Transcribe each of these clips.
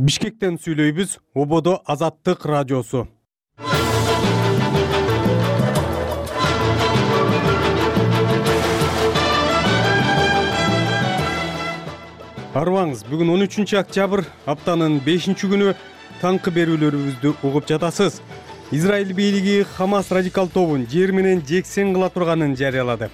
Бишкектен сүйлөйбүз. Ободо Азаттык радиосу. Арыбаңыз, бүгүн 13 октябрь, аптанын 5-күнү. Таңкы берүүлөрүбүздү угуп жатасыз. Израиль бийлиги Хамас радикал тобун жер менен жексен кыла турганын жарыялады.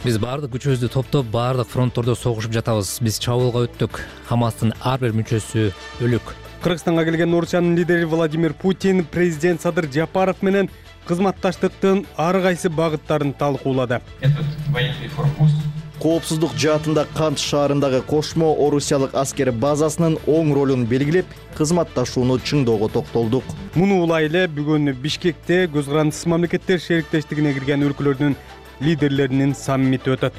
Биз баардык күчүбүздү топтоп, баардык фронттордо согушуп жатабыз. Биз чабуулга өттүк. Хамастын ар бир мүчөсү өлүк. Кыргызстанга келген Орусиянын лидери Владимир Путин президент Садыр Жапаров менен кызматташтыктын ар кайсы багыттарын талкуулады. Коопсуздук жаатында Кант шаарындагы кошмо орусиялык аскер базасынын оң ролун белгилеп, кызматташууну чыңдоого токтолдук. Муну улайлы бүгүн Бишкекте көз карандысыз мамлекеттер шериктештигине кирген өлкөлөрдүн лидерлеринин саммити өтөт.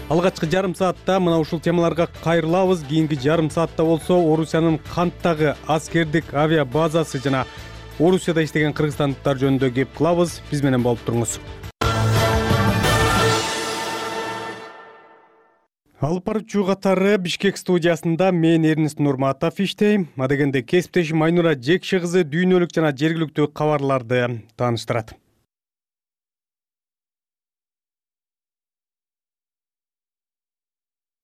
Алгачкы жарым саатта мына ушул темаларга кайрылабыз. Кийинки жарым саатта болсо Орусиянын Канттагы аскердик авиа базасы жана Орусияда иштеген кыргызстандыктар жөнүндө кеп кылабыз. Биз менен болуп туруңуз. Алып баруучу катары Бишкек студиясында мен Эрнест Нурматов иштейм. Адегенде кесиптешим Айнура Жекши кызы дүйнөлүк жана жергиликтүү кабарларды тааныштырат.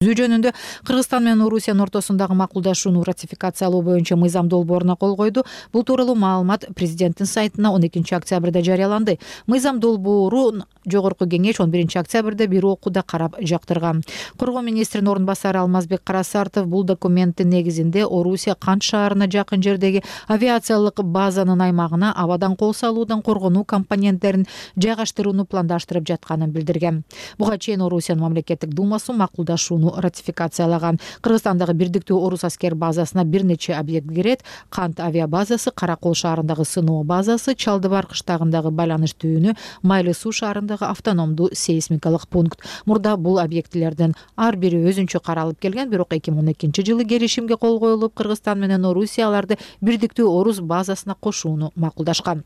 Жөнүндө Кыргызстан менен Орусиянын ортосундагы макулдашууну ратификациялоо боюнча мыйзам долбооруна кол койду. Бул тууралуу маалымат президенттин сайтына 12 октябрда жарыяланды. Мыйзам долбоорун Жогорку кеңеш 11 октябрда бир окууда карап жактырган. Коргоо министринин орун басары Алмазбек Карасартов бул документтин негизинде Орусия Кант шаарына жакын жердеги авиациялык базанын аймагына абадан кол салуудан коргонуу компоненттерин жайгаштырууну пландаштырып жатканын билдирген. Буга чейин Орусиянын мамлекеттик думасы макулдашууну ратификациялаган. Кыргызстандагы бирдиктүү орус аскер базасына бир нече объект кирет. Кант авиа базасы, Каракол шаарындагы сыноо базасы, Чалдыбар кыштагындагы байланыш түйүнү, Майлы суу шаарындагы автономдуу сейсмикалык пункт. Мурда бул объектилердин ар бири өзүнчө каралып келген, бирок 2012-жылы келишимге кол коюлуп, Кыргызстан менен Орусия аларды бирдиктүү орус базасына кошууну макулдашкан.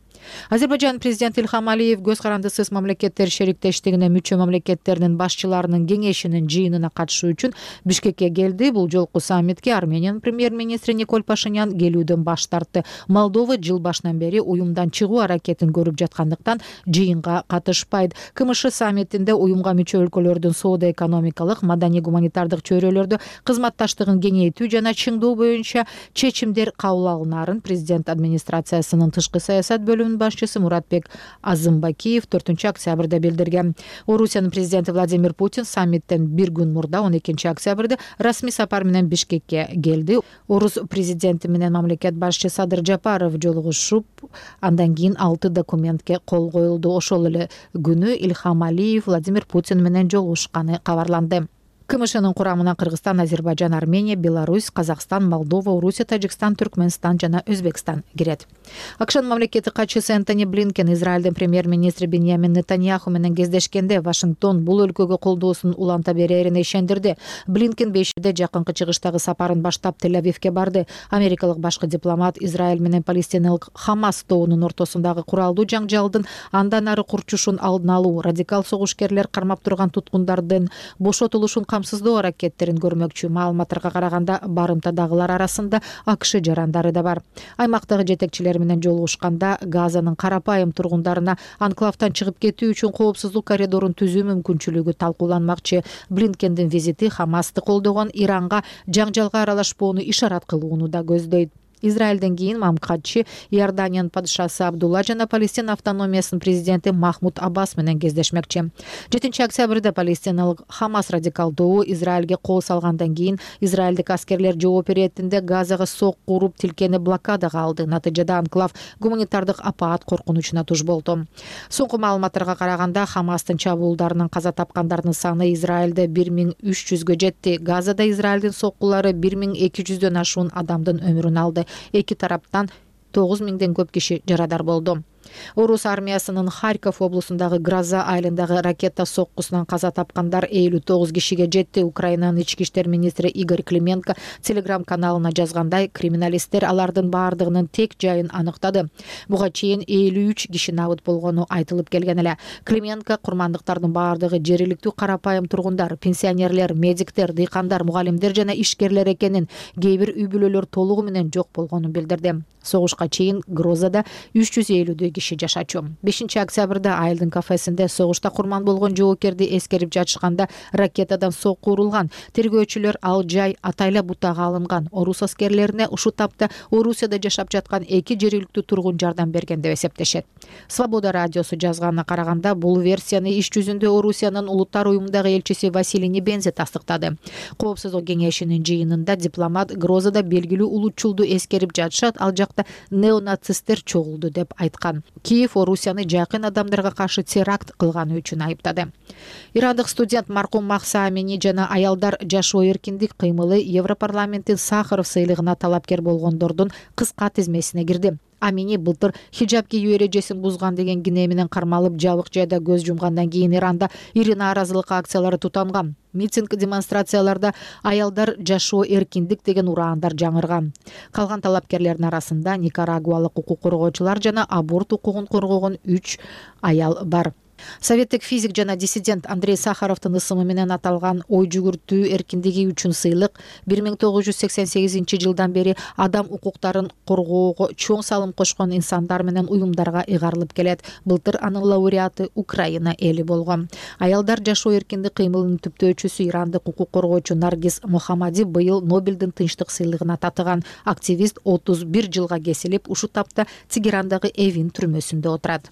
Азербайжан президенти Ильхам Алиев көз карандысыз мамлекеттер шериктештигине мүчө мамлекеттеринин башчыларынын кеңешинин жыйынына катышуу үчүн Бишкекке келди. Бул жолку саммитке Армениянын премьер-министри Николь Пашинян келүүдөн баш тартты. Молдова жыл башынан бери уюмдан чыгуу аракетин көрүп жаткандыктан жыйынга катышпайт. КМШ саммитинде уюмга мүчө өлкөлөрдүн соода-экономикалык, маданий-гуманитардык чөйрөлөрдө кызматташтыгын кеңейтүү жана чыңдоо боюнча чечимдер кабыл алынаарын президент администрациясынын тышкы саясат бөлүмүнүн башчысы Муратбек Азымбакиев 4 октябрда билдирген. Орусиянын президенти Владимир Путин саммиттен бир күн мурда 12 октябрда расмий сапар менен Бишкекке келди. Орус президенти менен мамлекет башчысы Садыр Жапаров жолугушуп, андан кийин 6 документке кол коюлду. Ошол эле күнү Ильхам Алиев Владимир Путин менен жолугушканы кабарланды. КМШнын курамына Кыргызстан, Азербайжан, Армения, Беларусь, Казакстан, Молдова, Орусия, Тажикстан, Түркмөнстан жана Өзбекстан кирет. АКШнын мамлекеттик катчысы Энтони Блинкен Израилдин премьер-министри Беньямин Нетаньяху менен кездешкенде Вашингтон бул өлкөгө колдоосун уланта берерине ишендирди. Блинкен 5-де жакынкы чыгыштагы сапарын баштап Тель-Авивке барды. Америкалык башкы дипломат Израиль менен палестиналык Хамас тобунун ортосундагы куралдуу жаңжалдын андан ары курчушун алдын алуу, радикал согушкерлер кармап турган туткундардын бошотулушун камсыздоо аракеттерин көрмөкчү. Маалыматтарга караганда барымтадагылар арасында АКШ жарандары да бар. Аймактагы жетекчилер менен жолугушканда Газанын карапайым тургундарына анклавтан чыгып кетүү үчүн коопсуздук коридорун түзүү мүмкүнчүлүгү талкууланмакчы. Блинкендин визити Хамасты колдогон Иранга жаңжалга аралашпоону ишарат кылууну да көздөйт. Израилден кийин Мамкатчы Иорданиянын падышасы Абдулла жана Палестина автономиясынын президенти Махмуд Аббас менен кездешмекчи. 7 октябрда палестиналык Хамас радикал тобу Израилге кол салгандан кийин израилдик аскерлер жооп иретинде Газага сокку уруп тилкени блокадага алды. Натыйжада анклав гуманитардык апаат коркунучуна туш болду. Соңку маалыматтарга караганда Хамастын чабуулдарынан каза тапкандардын саны Израилде 1300гө жетти. Газада Израилдин соккулары 1200дөн ашуун адамдын өмүрүн алды. Эки тараптан 9000ден көп киши жарадар болду. Орус армиясынын Харьков облусундагы Гроза айылындагы ракета соккусунан каза тапкандар 59 кишиге жетти. Украинанын ички иштер министри Игорь Клименко Telegram каналына жазгандай, криминалисттер алардын баардыгынын тек жайын аныктады. Буга чейин 53 киши набыт болгону айтылып келген эле. Клименко курмандыктардын баардыгы жергиликтүү карапайым тургундар, пенсионерлер, медиктер, дыйкандар, мугалимдер жана ишкерлер экенин, кээ бир үй бүлөлөр толугу менен жок болгонун билдирди. Согушка чейин Грозада 350 киши жашачу. 5-октябрда айылдын кафесинде согушта курман болгон жоокерди эскерип жатышканда ракетадан сокку урулган. Тергөөчүлөр ал жай атайла бутага алынган. Орус аскерлерине ушул тапта Орусияда жашап жаткан 2 жергиликтүү тургун жардам берген деп эсептешет. Свобода радиосу жазганына караганда, бул версияны иш жүзүндө Орусиянын улуттар уюмундагы элчиси Василий Небензи тастыктады. Коопсуздук кеңешинин жыйынында дипломат Грозада белгилүү улутчулду эскерип жатышат, ал жакта неонацисттер чогулду деп айткан. Киев Орусияны жакын адамдарга каршы теракт кылганы үчүн айыптады. Ирандык студент маркум Махса Амини жана аялдар жашоо эркиндик кыймылы Европарламенттин Сахаров сыйлыгына талапкер болгондордун кыска тизмесине кирди. Амини былтыр хиджаб кийүү эрежесин бузган деген кине менен кармалып, жабык жайда көз жумгандан кийин Иранда ири нааразылык акциялары тутанган. Митинг демонстрацияларда аялдар жашоо эркиндик деген ураандар жаңырган. Калган талапкерлердин арасында никарагуалык укук коргоочулар жана аборт укугун коргогон 3 аял бар. Советтик физик жана диссидент Андрей Сахаровдун ысымы менен аталган ой жүгүртүү эркиндиги үчүн сыйлык 1988-жылдан бери адам укуктарын коргоого чоң салым кошкон инсандар менен уюмдарга ыйгарылып келет. Былтыр анын лауреаты Украина эли болгон. Аялдар жашоо эркиндик кыймылынын түптөөчүсү ирандык укук коргоочу Наргиз Мухаммади быйыл Нобелдин тынчтык сыйлыгына татыган. Активист 31 жылга кесилип, ушул тапта Тегерандагы Эвин түрмөсүндө отурат.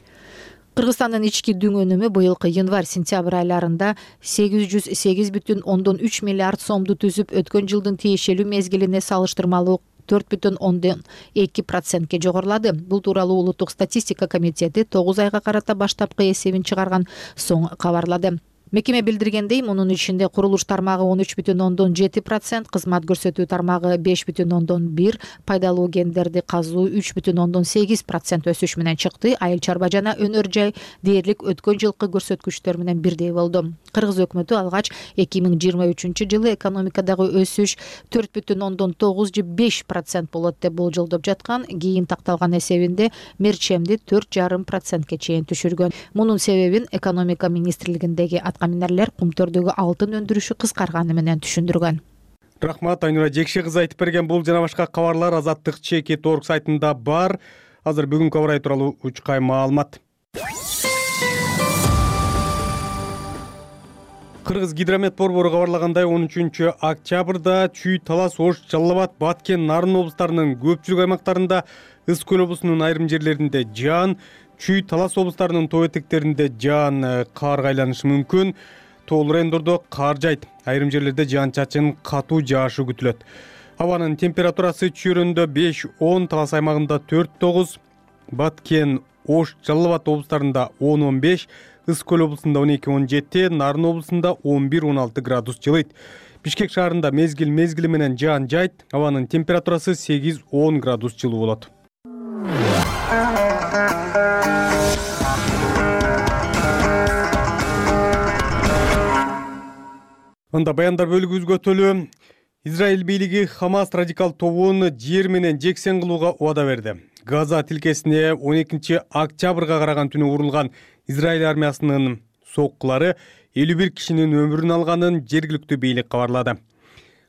Кыргызстандын ички дүң өнүмү быйылкы январь-сентябрь айларында 808,3 миллиард сомду түзүп, өткөн жылдын тиешелүү мезгилине салыштырмалуу 4,2%ке жогорулады. Бул тууралуу Улуттук статистика комитети 9 айга карата баштапкы эсебин чыгарган соң кабарлады. Мекеме билдиргендей, мунун ичинде курулуш тармагы 13,7%, кызмат көрсөтүү тармагы 5,1%, пайдалуу кендерди казуу 3,8% өсүш менен чыкты. Айыл чарба жана өнөр жай дээрлик өткөн жылкы көрсөткүчтөр менен бирдей болду. Кыргыз өкмөтү алгач 2023-жылы экономикадагы өсүш 4,9-5% болот деп болжолдоп жаткан. Кийин такталган эсебинде мерчемди 4,5%ке чейин түшүргөн. Мунун себебин экономика министрлигиндеги каминерлер кумтөрдөгү алтын өндүрүшү кыскарганы менен түшүндүргөн. Рахмат, Айнура Жекше кызы айтып берген. Бул жана башка кабарлар Азаттык ЧК.org сайтында бар. Азыр бүгүнкү абар тууралуу учкай маалымат. Кыргыз гидромет борбору кабарлагандай, 13-октябрда Чүй, Талас, Ош, Жалал Абад, Баткен, Нарын облустарынын көпчүлүк аймактарында, Ысык көл облусунун айрым жерлеринде жаан, Чүй, Талас облустарынын тоо этектеринде жаан каарга айланышы мүмкүн. Тоолуу райондордо каар жайт. Айрым жерлерде жаан-чачын катуу жаашы күтүлөт. Абанын температурасы Чүйрөндө 5-10, Талас аймагында 4-9, Баткен, Ош, Жалал Абад облустарында 10-15, Ысык көл облусунда 12-17, Нарын облусунда 11-16 градус жылыйт. Бишкек шаарында мезгил менен жаан жайт. Абанын температурасы 8-10 градус жылуу болот. Анда баяндар бөлүгүбүзгө өтөлү. Израиль бийлиги Хамас радикал тобун жер менен жексен кылууга убада берди. Газа тилкесине 12-октябрга караган түнү урулган Израиль армиясынын соккулары 51 кишинин өмүрүн алганын жергиликтүү бийлик кабарлады.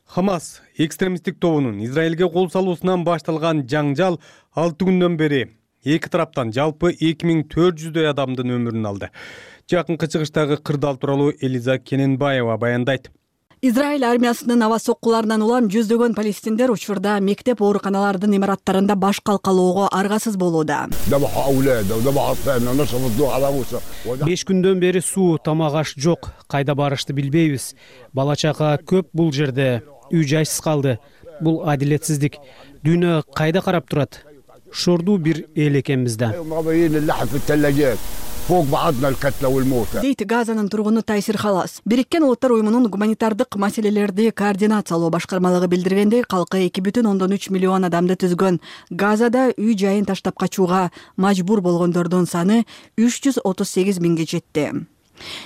Хамас экстремисттик тобунун Израилге кол салуусунан башталган жаңжал 6 күндөн бери эки тараптан жалпы 2400 адамдын өмүрүн алды. Жакынкы чыгыштагы кырдаал тууралуу Элиза Кененбаева баяндайт. Израиль армиясынын аба соккуларынан улам жүздөгөн палестиндер учурда мектеп ооруканалардын имараттарында баш калкалоого аргасыз болууда. 5 күндөн бери суу, тамак аш жок. Кайда барышты билбейбиз. Бала чака көп бул жерде. Үй жайсыз калды. Бул адилетсиздик. Дүйнө кайда карап турат? Шордуу бир эл экенбиз да. فوق بعضنا القتلى والموتى. дейт Газанын тургуну Тайсир Халас. Бириккен Улуттар уюмунун гуманитардык маселелерди координациялоо башкармалыгы билдиргендей, калкы 2,3 миллион адамды түзгөн Газада үй жайын таштап качууга мажбур болгондордун саны 338 миңге жетти.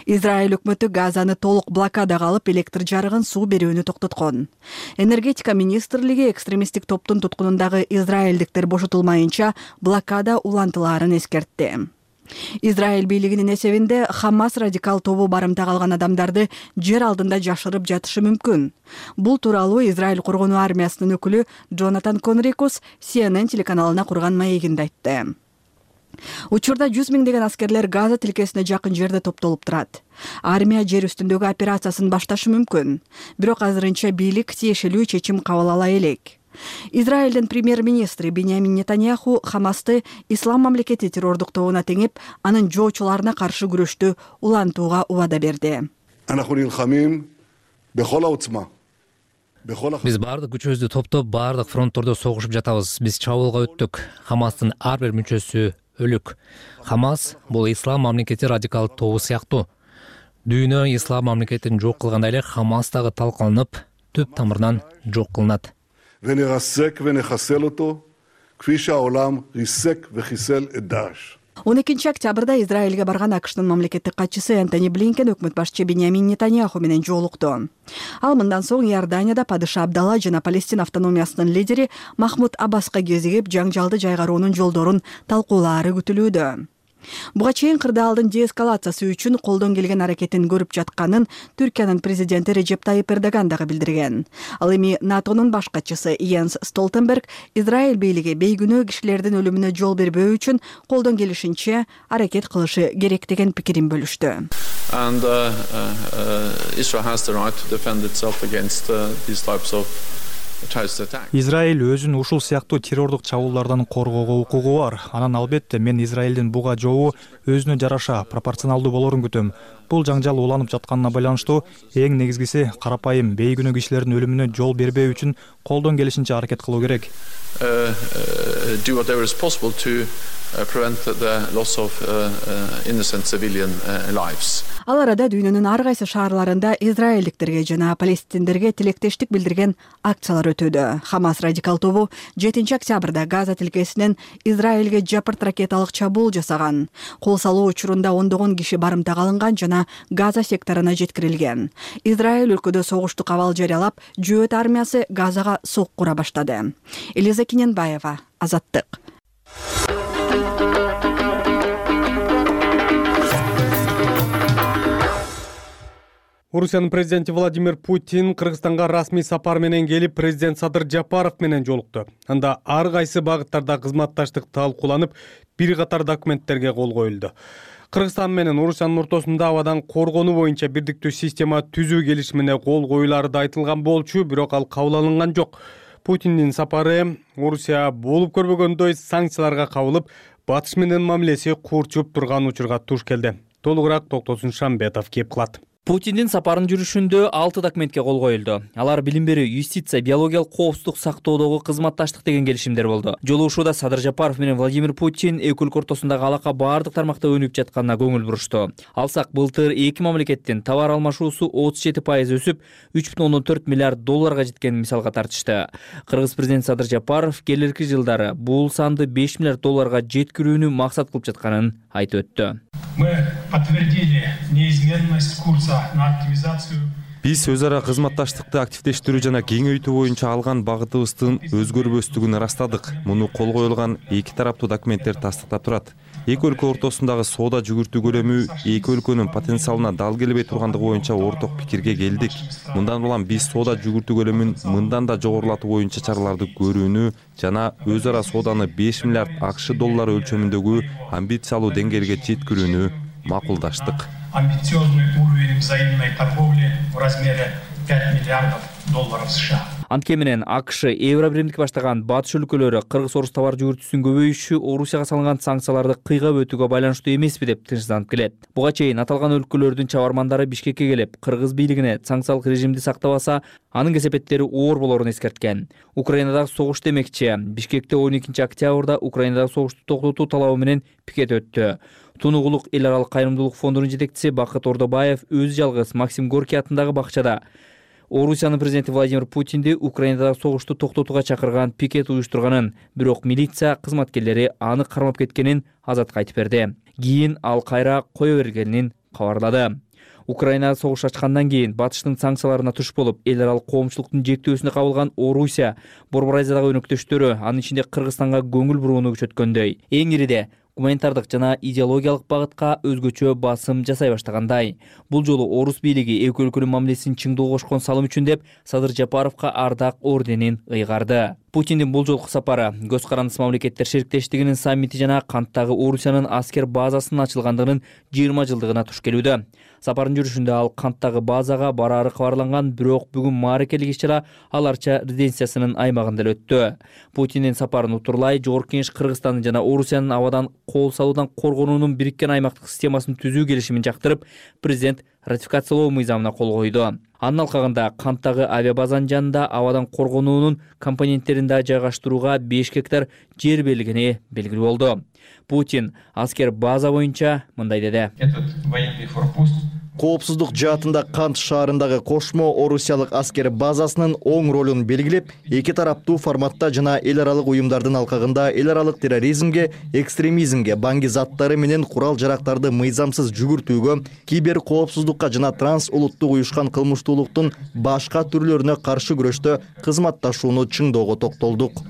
Израиль өкмөтү Газаны толук блокадага алып, электр жарыгын, суу берүүнү токтоткон. Энергетика министрлиги экстремисттик топтун туткунундагы израилдиктер бошотулмайынча блокада улантылаарын эскертти. Израиль бийлигинин эсебинде Хамас радикал тобу барымтага алган адамдарды жер алдында жашырып жатышы мүмкүн. Бул тууралуу Израиль коргонуу армиясынын өкүлү Джонатан Конрикус CNN телеканалына курган маегинде айтты. Учурда 100 миңдеген аскерлер Газа тилкесине жакын жерде топтолуп турат. Армия жер үстүндөгү операциясын башташы мүмкүн. Бирок азырынча бийлик тиешелүү чечим кабыл ала элек. Израилдин премьер-министри Биньямин Нетаньяху Хамасты ислам мамлекети террордук тобуна теңип, анын жоочуларына каршы күрөштү улантууга убада берди. Биз баардык күчүбүздү топтоп, баардык фронттордо согушуп жатабыз. Биз чабуулга өттүк. Хамастын ар бир мүчөсү өлүк. Хамас бул ислам мамлекети радикал тобу сыяктуу. Дүйнө ислам мамлекетин жок кылгандай эле Хамас дагы талкаланып, түп тамырынан жок кылынат. ונרסק ונחסל אותו, כפי שהעולם ריסק וחיסל את דאעש. 12 октябрда Израилге барган АКШнын мамлекеттик катчысы Энтони Блинкен өкмөт башчы Биньямин Нетаньяху менен жолукту. Ал мындан соң Иорданияда падыша Абдалла жана Палестин автономиясынын лидери Махмуд Аббаска кезигип, жаңжалды жайгаруунун жолдорун талкуулаары күтүлүүдө. Буга чейин кырдаалдын деэскалациясы үчүн колдон келген аракетин көрүп жатканын Түркиянын президенти Режеп Тайип Эрдоган дагы билдирген. Ал эми НАТОнун баш катчысы Йенс Столтенберг Израиль бийлиги бейгүнөө кишилердин өлүмүнө жол бербөө үчүн колдон келишинче аракет кылышы керек деген пикирин бөлүштү. And Israel has the right to defend itself against these types of Израиль өзүн ушул сыяктуу террордук чабуулдардан коргоого укугу бар. Анан албетте мен Израилдин буга жообу өзүнө жараша пропорционалдуу болорун күтөм. Бул жаңжал уланып жатканына байланыштуу эң негизгиси карапайым бейгүнөө кишилердин өлүмүнө жол бербөө үчүн колдон келишинче аракет кылуу керек. Do whatever is possible to prevent the loss of innocent civilian lives. Ал арада дүйнөнүн ар кайсы шаарларында израилдиктерге жана палестиндерге тилектештик билдирген акциялар өтүүдө. Хамас радикал тобу 7 октябрда Газа тилкесинен Израилге жапырт ракеталык чабуул жасаган. Кол салуу учурунда ондогон киши барымтага алынган жана Газа секторуна жеткирилген. Израиль өлкөдө согуштук абал жарыялап, жөөт армиясы Газага сок кура баштады. Элиза Киненбаева, Азаттык. Орусиянын президенти Владимир Путин Кыргызстанга расмий сапар менен келип, президент Садыр Жапаров менен жолукту. Анда ар кайсы багыттарда кызматташтык талкууланып, бир катар документтерге кол коюлду. Кыргызстан менен Орусиянын ортосунда абадан коргонуу боюнча бирдиктүү система түзүү келишимине кол коюлары да айтылган болчу, бирок ал кабыл алынган жок. Путиндин сапары Орусия болуп көрбөгөндөй санкцияларга кабылып, батыш менен мамилеси курчуп турган учурга туш келди. Толугураак Токтосун Шамбетов кеп кылат. Путиндин сапарынын жүрүшүндө 6 документке кол коюлду. Алар билим берүү, юстиция, биологиялык коопсуздук сактоодогу кызматташтык деген келишимдер болду. Жолугушууда Садыр Жапаров менен Владимир Путин эки өлкө ортосундагы алака баардык тармакта өнүгүп жатканына көңүл бурушту. Алсак, былтыр эки мамлекеттин товар алмашуусу 37% өсүп, 3,4 миллиард долларга жеткенин мисалга тартышты. Кыргыз президенти Садыр Жапаров келерки жылдары бул санды 5 миллиард долларга жеткирүүнү максат кылып жатканын айтып өттү. Мы подтвердили неизменность курса на активизацию. Биз өз ара кызматташтыкты активдештирүү жана кеңейтүү боюнча алган багытыбыздын өзгөрбөстүгүн ырастадык. Муну кол коюлган эки тараптуу документтер тастыктап турат. Эки өлкө ортосундагы соода жүгүртүү көлөмү эки өлкөнүн потенциалына дал келбей тургандыгы боюнча орток пикирге келдик. Мындан улам биз соода жүгүртүү көлөмүн мындан да жогорулатуу боюнча чараларды көрүүнү жана өз ара сооданы 5 миллиард АКШ доллары өлчөмүндөгү амбициялуу деңгээлге жеткирүүнү макулдаштык. Амбициозный уровень взаимной торговли в размере $5 миллиардов США. Антке менен АКШ, Евробиримдик баштаган батыш өлкөлөрү кыргыз-орус товар жүгүртүүсүнүн көбөйүшү Орусияга салынган санкцияларды кыйгап өтүүгө байланыштуу эмеспи деп тынчсызданып келет. Буга чейин аталган өлкөлөрдүн чабармандары Бишкекке келип, кыргыз бийлигине санкциялык режимди сактабаса, анын кесепеттери оор болорун эскерткен. Украинадагы согуш демекчи. Бишкекте 12 октябрда Украинадагы согушту токтотуу талабы менен пикет өттү. Тунугулук эл аралык кайрымдуулук фондунун жетекчиси Бакыт Ордобаев өзү жалгыз Максим Горький атындагы бакчада Орусиянын президенти Владимир Путинди Украинадагы согушту токтотууга чакырган пикет уюштурганын, бирок милиция кызматкерлери аны кармап кеткенин азатка айтып берди. Кийин ал кайра кое бергенин кабарлады. Украинада согуш ачкандан кийин батыштын санкцияларына туш болуп, эл аралык коомчулуктун жектөөсүнө кабылган Орусия, Борбор Азиядагы өнөктөштөрү, анын ичинде Кыргызстанга көңүл бурууну күчөткөндөй. Эң ириде гуманитардык жана идеологиялык багытка өзгөчө басым жасай баштагандай. Бул жолу орус бийлиги эки өлкөнүн мамилесин чыңдоого кошкон салым үчүн деп Садыр Жапаровго ардак орденин ыйгарды. Путиндин бул жолку сапары көз карандысыз мамлекеттер шериктештигинин саммити жана Канттагы Орусиянын аскер базасынын ачылгандыгынын 20 жылдыгына туш келүүдө. Сапардын жүрүшүндө ал Канттагы базага бараары кабарланган, бирок бүгүн мааракелик иш-чара аларча резиденциясынын аймагында өттү. Путиндин сапарын утурлай Жогорку Кеңеш Кыргызстандын жана Орусиянын абадан кол салуудан коргонуунун бириккен аймактык системасын түзүү келишимин жактырып, президент ратификациялоо мыйзамына кол койду. Анын алкагында Канттагы авиабазанын жанында абадан коргонуунун компоненттерин да жайгаштырууга 5 гектар жер берилгени белгилүү болду. Путин аскер база боюнча мындай деди. Коопсуздук жаатында Кант шаарындагы кошмо орусиялык аскер базасынын оң ролун белгилеп, эки тараптуу форматта жана эл аралык уюмдардын алкагында эл аралык терроризмге, экстремизмге, баңги заттары менен курал жарактарды мыйзамсыз жүгүртүүгө, кибер коопсуздукка жана транс улуттук уюшкан кылмыштуулуктун башка түрлөрүнө каршы күрөштө кызматташууну чыңдоого токтолдук.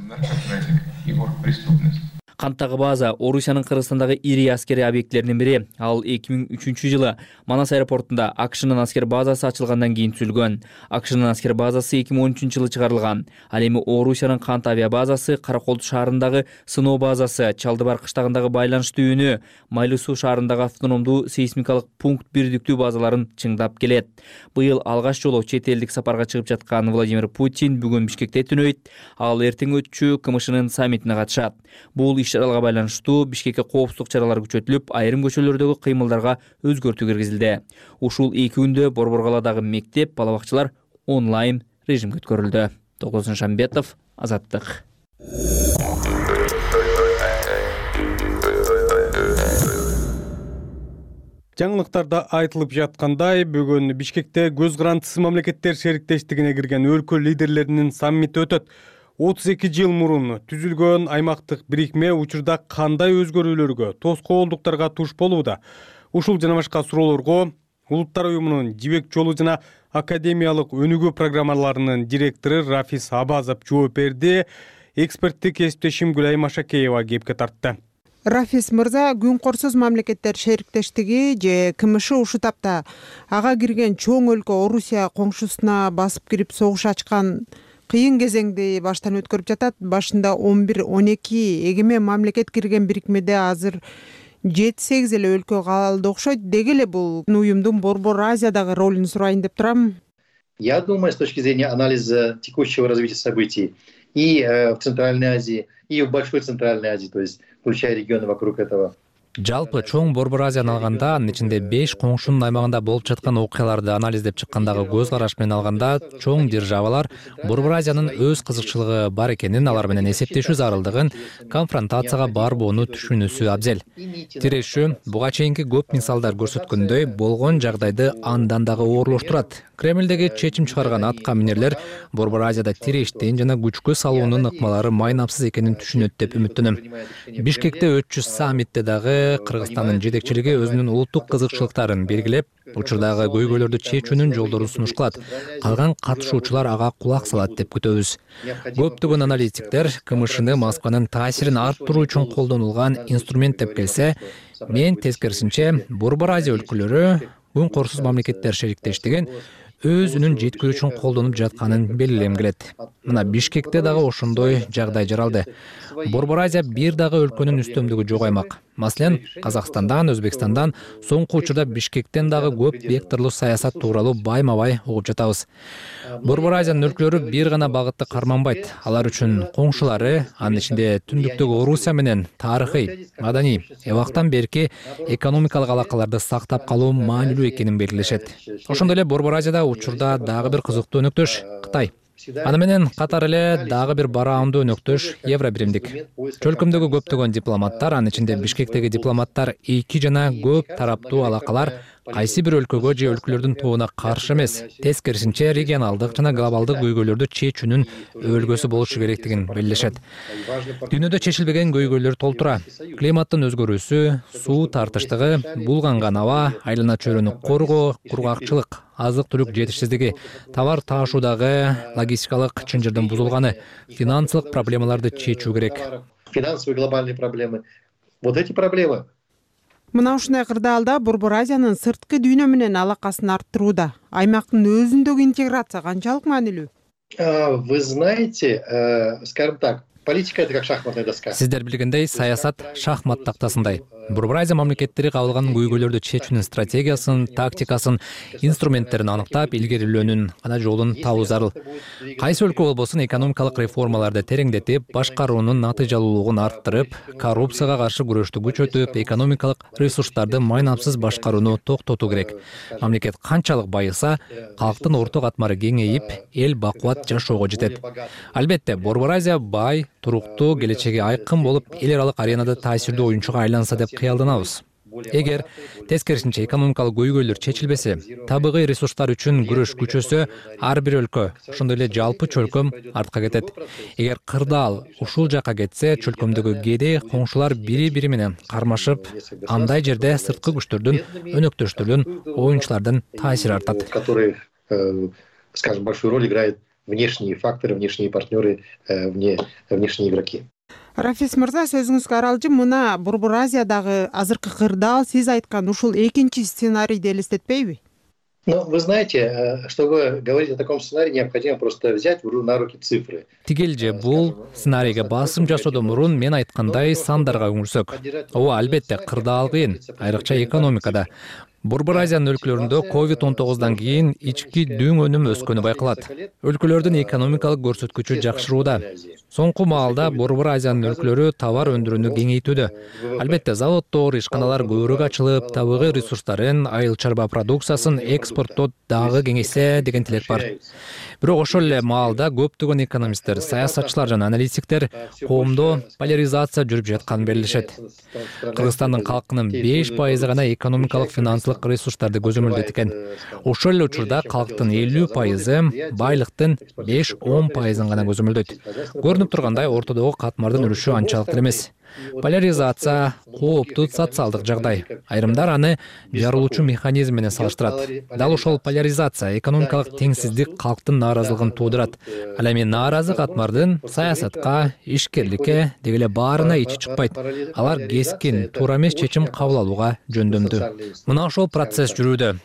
Канттагы база Орусиянын Кыргызстандагы ири аскери объектилеринин бири. Ал 2003 жылы Манас аэропортунда АКШнын аскер базасы ачылгандан кийин түзүлгөн. АКШнын аскер базасы 2013 жылы чыгарылган. Ал эми Орусиянын Кант авиабазасы, Караколду шаарындагы сыноо базасы, Чалдыбар кыштагындагы байланыш түйүнү, Майлы суу шаарындагы автономдуу сейсмикалык пункт бирдиктүү базаларын чыңдап келет. Быйыл алгаш жолу чет элдик сапарга чыгып жаткан Владимир Путин бүгүн Бишкекте түнөйт. Ал эртең өтчү КМШнын саммитине катышат. Бул иш-чараларга байланыштуу Бишкекке коопсуздук чаралары күчөтүлүп, айрым көчөлөрдөгү кыймылдарга өзгөртүү киргизилди. Ушул 2 күндө Борборкаладагы мектеп, бала бакчалар онлайн режимге өткөрүлдү. Тогоз Шамбетов, Азаттык. Жаңылыктарда айтылып жаткандай, бүгүн Бишкекте көз карандысыз мамлекеттер шериктештигине кирген өлкө лидерлеринин саммити өтөт. 32 жыл мурун түзүлгөн аймактык бирикме учурда кандай өзгөрүүлөргө, тоскоолдуктарга туш болууда? Ушул жана башка суроолорго Улуттар уюмунун жибек жолу жана академиялык өнүгүү программаларынын директору Рафис Абазов жооп берди. Эксперттик кесиптешим Гүлай Машакеева кепке тартты. Рафис мырза, күн корсуз мамлекеттер шериктештиги же КМШ ушу тапта ага кирген чоң өлкө Орусия коңшусуна басып кирип согуш ачкан кыйын кезеңди баштан өткөрүп жатат. Башында 11-12 эгемен мамлекет кирген бирикмеде азыр 7-8 эле өлкө калды окшойт. Деги эле бул уюмдун Борбор Азиядагы ролун сурайын деп турам. Я думаю, с точки зрения анализа текущего развития событий и в Центральной Азии, и в Большой Центральной Азии, то есть включая регионы вокруг этого. Жалпы чоң Борбор Азияны алганда, анын ичинде 5 коңшунун аймагында болуп жаткан окуяларды анализдеп чыккандагы көз караш менен алганда, чоң державалар Борбор Азиянын өз кызыкчылыгы бар экенин, алар менен эсептешүү зарылдыгын, конфронтацияга барбоону түшүнүүсү абзел. Тирешүү буга чейинки көп мисалдар көрсөткөндөй, болгон жагдайды андан дагы оорлоштурат. Кремлдеги чечим чыгарган атка минерлер Борбор Азияда тирештин жана күчкө салуунун ыкмалары майнапсыз экенин түшүнөт деп үмүттөнөм. Бишкекте өтчү саммитте дагы Кыргызстандын жетекчилиги өзүнүн улуттук кызыкчылыктарын белгилеп, учурдагы көйгөйлөрдү чечүүнүн жолдорун сунуш кылат. Калган катышуучулар ага кулак салат деп күтөбүз. Көптөгөн аналитиктер КМШны Москванын таасирин арттыруу үчүн колдонулган инструмент деп келсе, мен тескерисинче Борбор Азия өлкөлөрү күн корсуз мамлекеттер шериктештигин өзүнүн жеткирүү үчүн колдонуп жатканын белгилегим келет. Мына Бишкекте дагы ошондой жагдай жаралды. Борбор Азия бир дагы өлкөнүн үстөмдүгү жок аймак. Маселен, Казакстандан, Өзбекстандан, соңку учурда Бишкектен дагы көп векторлуу саясат тууралуу байма-бай угуп жатабыз. Борбор Азиянын өлкөлөрү бир гана багытты карманбайт. Алар үчүн коңшулары, анын ичинде түндүктөгү Орусия менен тарыхый, маданий, эбактан берки экономикалык алакаларды сактап калуу маанилүү экенин белгилешет. Ошондой эле Борбор Азияда учурда дагы бир кызыктуу өнөктөш Кытай. Аны менен катар эле дагы бир бараандуу өнөктөш Евробиримдик. Чөлкөмдөгү көптөгөн дипломаттар, анын ичинде Бишкектеги дипломаттар эки жана көп тараптуу алакалар кайсы бир өлкөгө же өлкөлөрдүн тобуна каршы эмес, тескерисинче регионалдык жана глобалдык көйгөйлөрдү чечүүнүн өлгөсү болушу керектигин белгилешет. Дүйнөдө чечилбеген көйгөйлөр толтура. Климаттын өзгөрүүсү, суу тартыштыгы, булганган аба, айлана чөйрөнү коргоо, кургакчылык, азык-түлүк жетишсиздиги, товар таашуудагы логистикалык чынжырдын бузулганы, финансылык проблемаларды чечүү керек. Финансовые глобальные проблемы. Вот эти проблемы. Мына ушундай кырдаалда Борбор Азиянын сырткы дүйнө менен алакасын арттырууда аймактын өзүндөгү интеграция канчалык маанилүү? Вы знаете, скажем так, политика — это как шахматная доска. Сиздер билгендей, саясат шахмат тактасындай. Борбор Азия мамлекеттери кабылган көйгөйлөрдү чечүүнүн стратегиясын, тактикасын, инструменттерин аныктап, илгерилөөнүн гана жолун табуу зарыл. Кайсы өлкө болбосун экономикалык реформаларды тереңдетип, башкаруунун натыйжалуулугун арттырып, коррупцияга каршы күрөштү күчөтүп, экономикалык ресурстарды майнапсыз башкарууну токтотуу керек. Мамлекет канчалык байыса, калктын орто катмары кеңейип, эл бакубат жашоого жетет. Албетте, Борбор Азия бай, туруктуу, келечеги айкын болуп, эл аралык аренада таасирдүү оюнчуга айланса деп кыялданабыз. Эгер тескерисинче экономикалык көйгөйлөр чечилбесе, табигый ресурстар үчүн күрөш күчөсө, ар бир өлкө, ошондой эле жалпы чөлкөм артка кетет. Эгер кырдаал ушул жака кетсе, чөлкөмдөгү кедей коңшулар бири-бири менен кармашып, андай жерде сырткы күчтөрдүн, өнөктөштөрдүн, оюнчулардын таасири артат. Скажем, большую роль играют внешние факторы, внешние партнеры, внешние игроки. Рафис мырза, сөзүңүзгө аралжы, мына Борбор Азиядагы азыркы кырдаал сиз айткан ушул экинчи сценарийди элестетпейби? Ну, вы знаете, чтобы говорить о таком сценарии, необходимо просто взять на руки цифры. Тигел же бул сценарийге басым жасоодон мурун мен айткандай сандарга үңүлсөк. Ооба, албетте, кырдаал кыйын, айрыкча экономикада. Борбор Азиянын өлкөлөрүндө COVID-19 кийин ички дүң өнүм өскөнү байкалат. Өлкөлөрдүн экономикалык көрсөткүчү жакшырууда. Соңку маалда Борбор Азиянын өлкөлөрү товар өндүрүүнү кеңейтүүдө. Албетте, заводдор, ишканалар көбүрөөк ачылып, табигый ресурстарын, айыл чарба продукциясын экспорттоо дагы кеңейсе деген тилек бар. Бирок ошол эле маалда көптөгөн экономисттер, саясатчылар жана аналитиктер коомдо поляризация жүрүп жатканын белгилешет. Кыргызстандын калкынын 5% гана экономикалык финансылык ресурстарды көзөмөлдөйт экен. Ошол эле учурда калктын 50% байлыктын 5-10% гана көзөмөлдөйт. Көрүнүп тургандай, ортодогу катмардын үлүшү анчалык деле эмес. Поляризация кооптуу социалдык жагдай. Айрымдар аны жарылуучу механизм менен салыштырат. Дал ошол поляризация экономикалык теңсиздик калктын нааразылыгын туудурат. Ал эми нааразы катмардын саясатка, ишкерликке деги эле баарына ичи чыкпайт. Алар кескин, туура эмес чечим кабыл алууга жөндөмдүү. Мына ошол процесс жүрүүдө.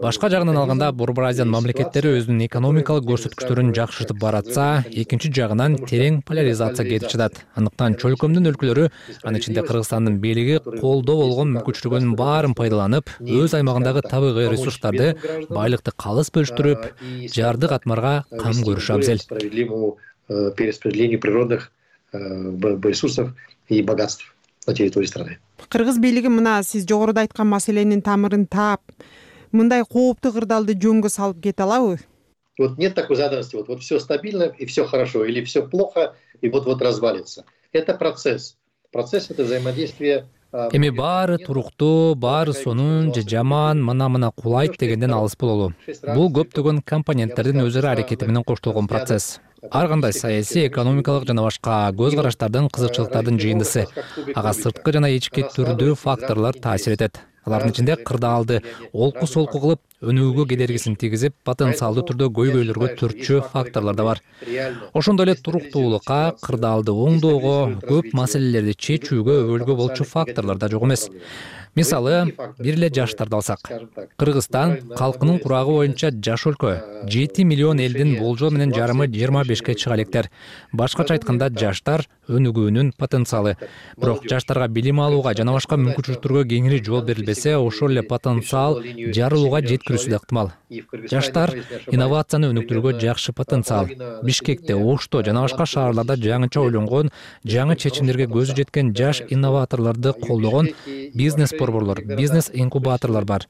Башка жагынан алганда, Борбор Азиянын мамлекеттери өзүнүн экономикалык көрсөткүчтөрүн жакшыртып баратса, экинчи жагынан терең поляризация кетип жатат. Андыктан чөлкөмдүн өлкөлөрү, анын ичинде Кыргызстандын бийлиги колдо болгон мүмкүнчүлүгүнүн баарын пайдаланып, өз аймагындагы табигый ресурстарды, байлыкты калыс бөлүштүрүп, жарды катмарга кам көрүшү абзел. Перераспределению природных ресурсов и богатств на территории страны. Кыргыз бийлиги мына сиз жогоруда айткан маселенин тамырын таап, мындай кооптуу кырдаалды жөнгө салып кете алабы? Вот нет такой заданности, вот все стабильно и все хорошо, или все плохо и вот развалится. Это процесс. Процесс — это взаимодействие. Эми баары туруктуу, баары сонун же жаман, мына кулайт дегенден алыс бололу. Бул көптөгөн компоненттердин өзара аракети менен коштолгон процесс. Ар кандай саясий, экономикалык жана башка көз караштардын, кызыкчылыктардын жыйындысы. Ага сырткы жана ички түрдүү факторлор таасир этет. Алардын ичинде кырдаалды олку-солку кылып өнүгүүгө кедергисин тийгизип, потенциалдуу түрдө көйгөйлөргө төртчү факторлор да бар. Ошондой эле туруктуулукка, кырдаалды оңдоого, көп маселелерди чечүүгө өбөлгө болчу факторлор да жок эмес. Мисалы, бир эле жаштарды алсак. Кыргызстан калкынын курагы боюнча жаш өлкө. 7 миллион элдин болжол менен жарымы 25-ке чыга электер. Башкача айтканда, жаштар өнүгүүнүн потенциалы. Бирок жаштарга билим алууга жана башка мүмкүнчүлүктөргө кеңири жол берилбесе, ошол эле потенциал жарылууга жеткирүүсү да ыктымал. Жаштар инновацияны өнүктүрүүгө жакшы потенциал. Бишкекте, Ошто жана башка шаарларда жаңыча ойлонгон, жаңы чечимдерге көзү жеткен жаш инноваторлорду колдогон бизнес борборлор, бизнес инкубаторлор бар.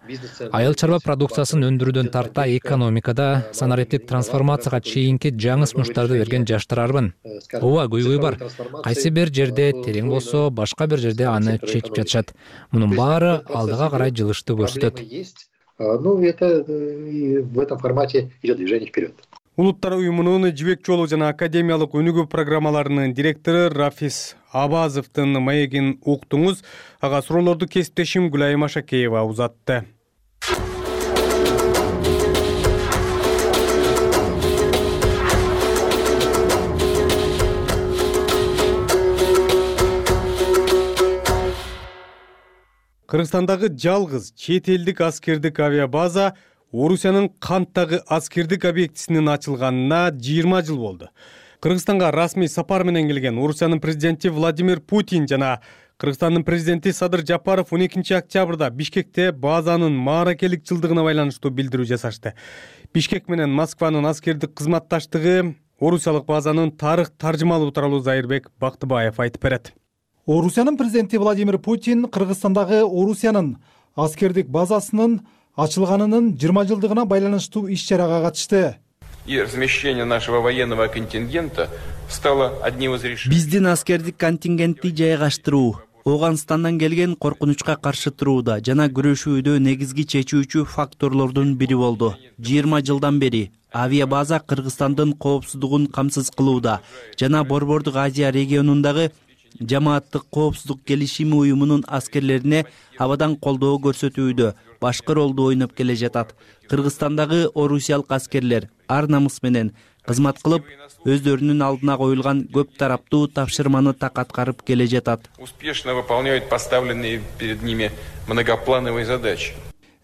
Айыл чарба продукциясын өндүрүүдөн тарта экономикада санариптик трансформацияга чейинки жаңы сунуштарды берген жаштар арбын. Ооба, көйгөй бар. Кайсы бир жерде терең болсо, башка бир жерде аны чечип жатышат. Мунун баары алдыга карай жылышты көрсөтөт. Ну, это в этом формате идет движение вперед. Улуттар уюмунун жибек жолу жана академиялык өнүгүү программаларынын директору Рафис Абазовдун маегин уктуңуз. Ага суроолорду кесиптешим Гүлайым Ашакеева узатты. Кыргызстандагы жалгыз чет элдик аскердик авиабаза Орусиянын Канттагы аскердик объектисинин ачылганына 20 жыл болду. Кыргызстанга расмий сапар менен келген Орусиянын президенти Владимир Путин жана Кыргызстандын президенти Садыр Жапаров 12 октябрда Бишкекте базанын мааракелик жылдыгына байланыштуу билдирүү жасашты. Бишкек менен Москванын аскердик кызматташтыгы орусиялык базанын тарых таржымалуу тууралуу Зайырбек Бактыбаев айтып берет. Орусиянын президенти Владимир Путин Кыргызстандагы Орусиянын аскердик базасынын ачылганынын 20 жылдыгына байланыштуу иш-чарага катышты. И размещение нашего военного контингента стало одним из решений. Биздин аскердик контингентти жайгаштыруу Ооганстандан келген коркунучка каршы турууда жана күрөшүүдө негизги чечүүчү факторлордун бири болду. 20 жылдан бери авиабаза Кыргызстандын коопсуздугун камсыз кылууда жана Борбордук Азия регионундагы жамааттык коопсуздук келишими уюмунун аскерлерине абадан колдоо көрсөтүүдө башкы ролду ойноп келе жатат. Кыргызстандагы орусиялык аскерлер ар намыс менен кызмат кылып, өздөрүнүн алдына коюлган көп тараптуу тапшырманы так аткарып келе жатат. Успешно выполняют поставленные перед ними многоплановые задачи.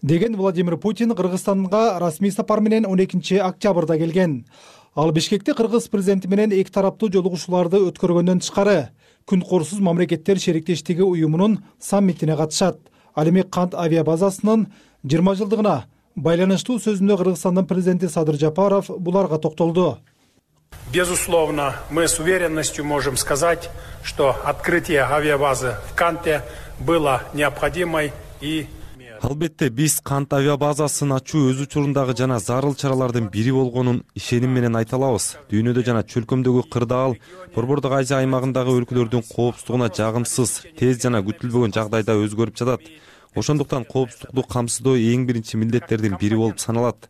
Деген Владимир Путин Кыргызстанга расмий сапар менен 12 октябрда келген. Ал Бишкекте кыргыз президенти менен эки тараптуу жолугушууларды өткөргөндөн тышкары Күн корсуз мамлекеттер шериктештиги уюмунун саммитине катышат. Ал эми Кант авиабазасынын 20 жылдыгына байланыштуу сөзүндө Кыргызстандын президенти Садыр Жапаров буларга токтолду. Безусловно, мы с уверенностью можем сказать, что открытие авиабазы в Канте было необходимой и Албетте биз Кант авиабазасын ачуу өз учурундагы жана зарыл чаралардын бири болгонун ишеним менен айта алабыз. Дүйнөдө жана чөлкөмдөгү кырдаал, Борбордук Азия аймагындагы өлкөлөрдүн коопсуздугуна жагымсыз, тез жана күтүлбөгөн жагдайда өзгөрүп жатат. Ошондуктан коопсуздукту камсыздоо эң биринчи милдеттердин бири болуп саналат.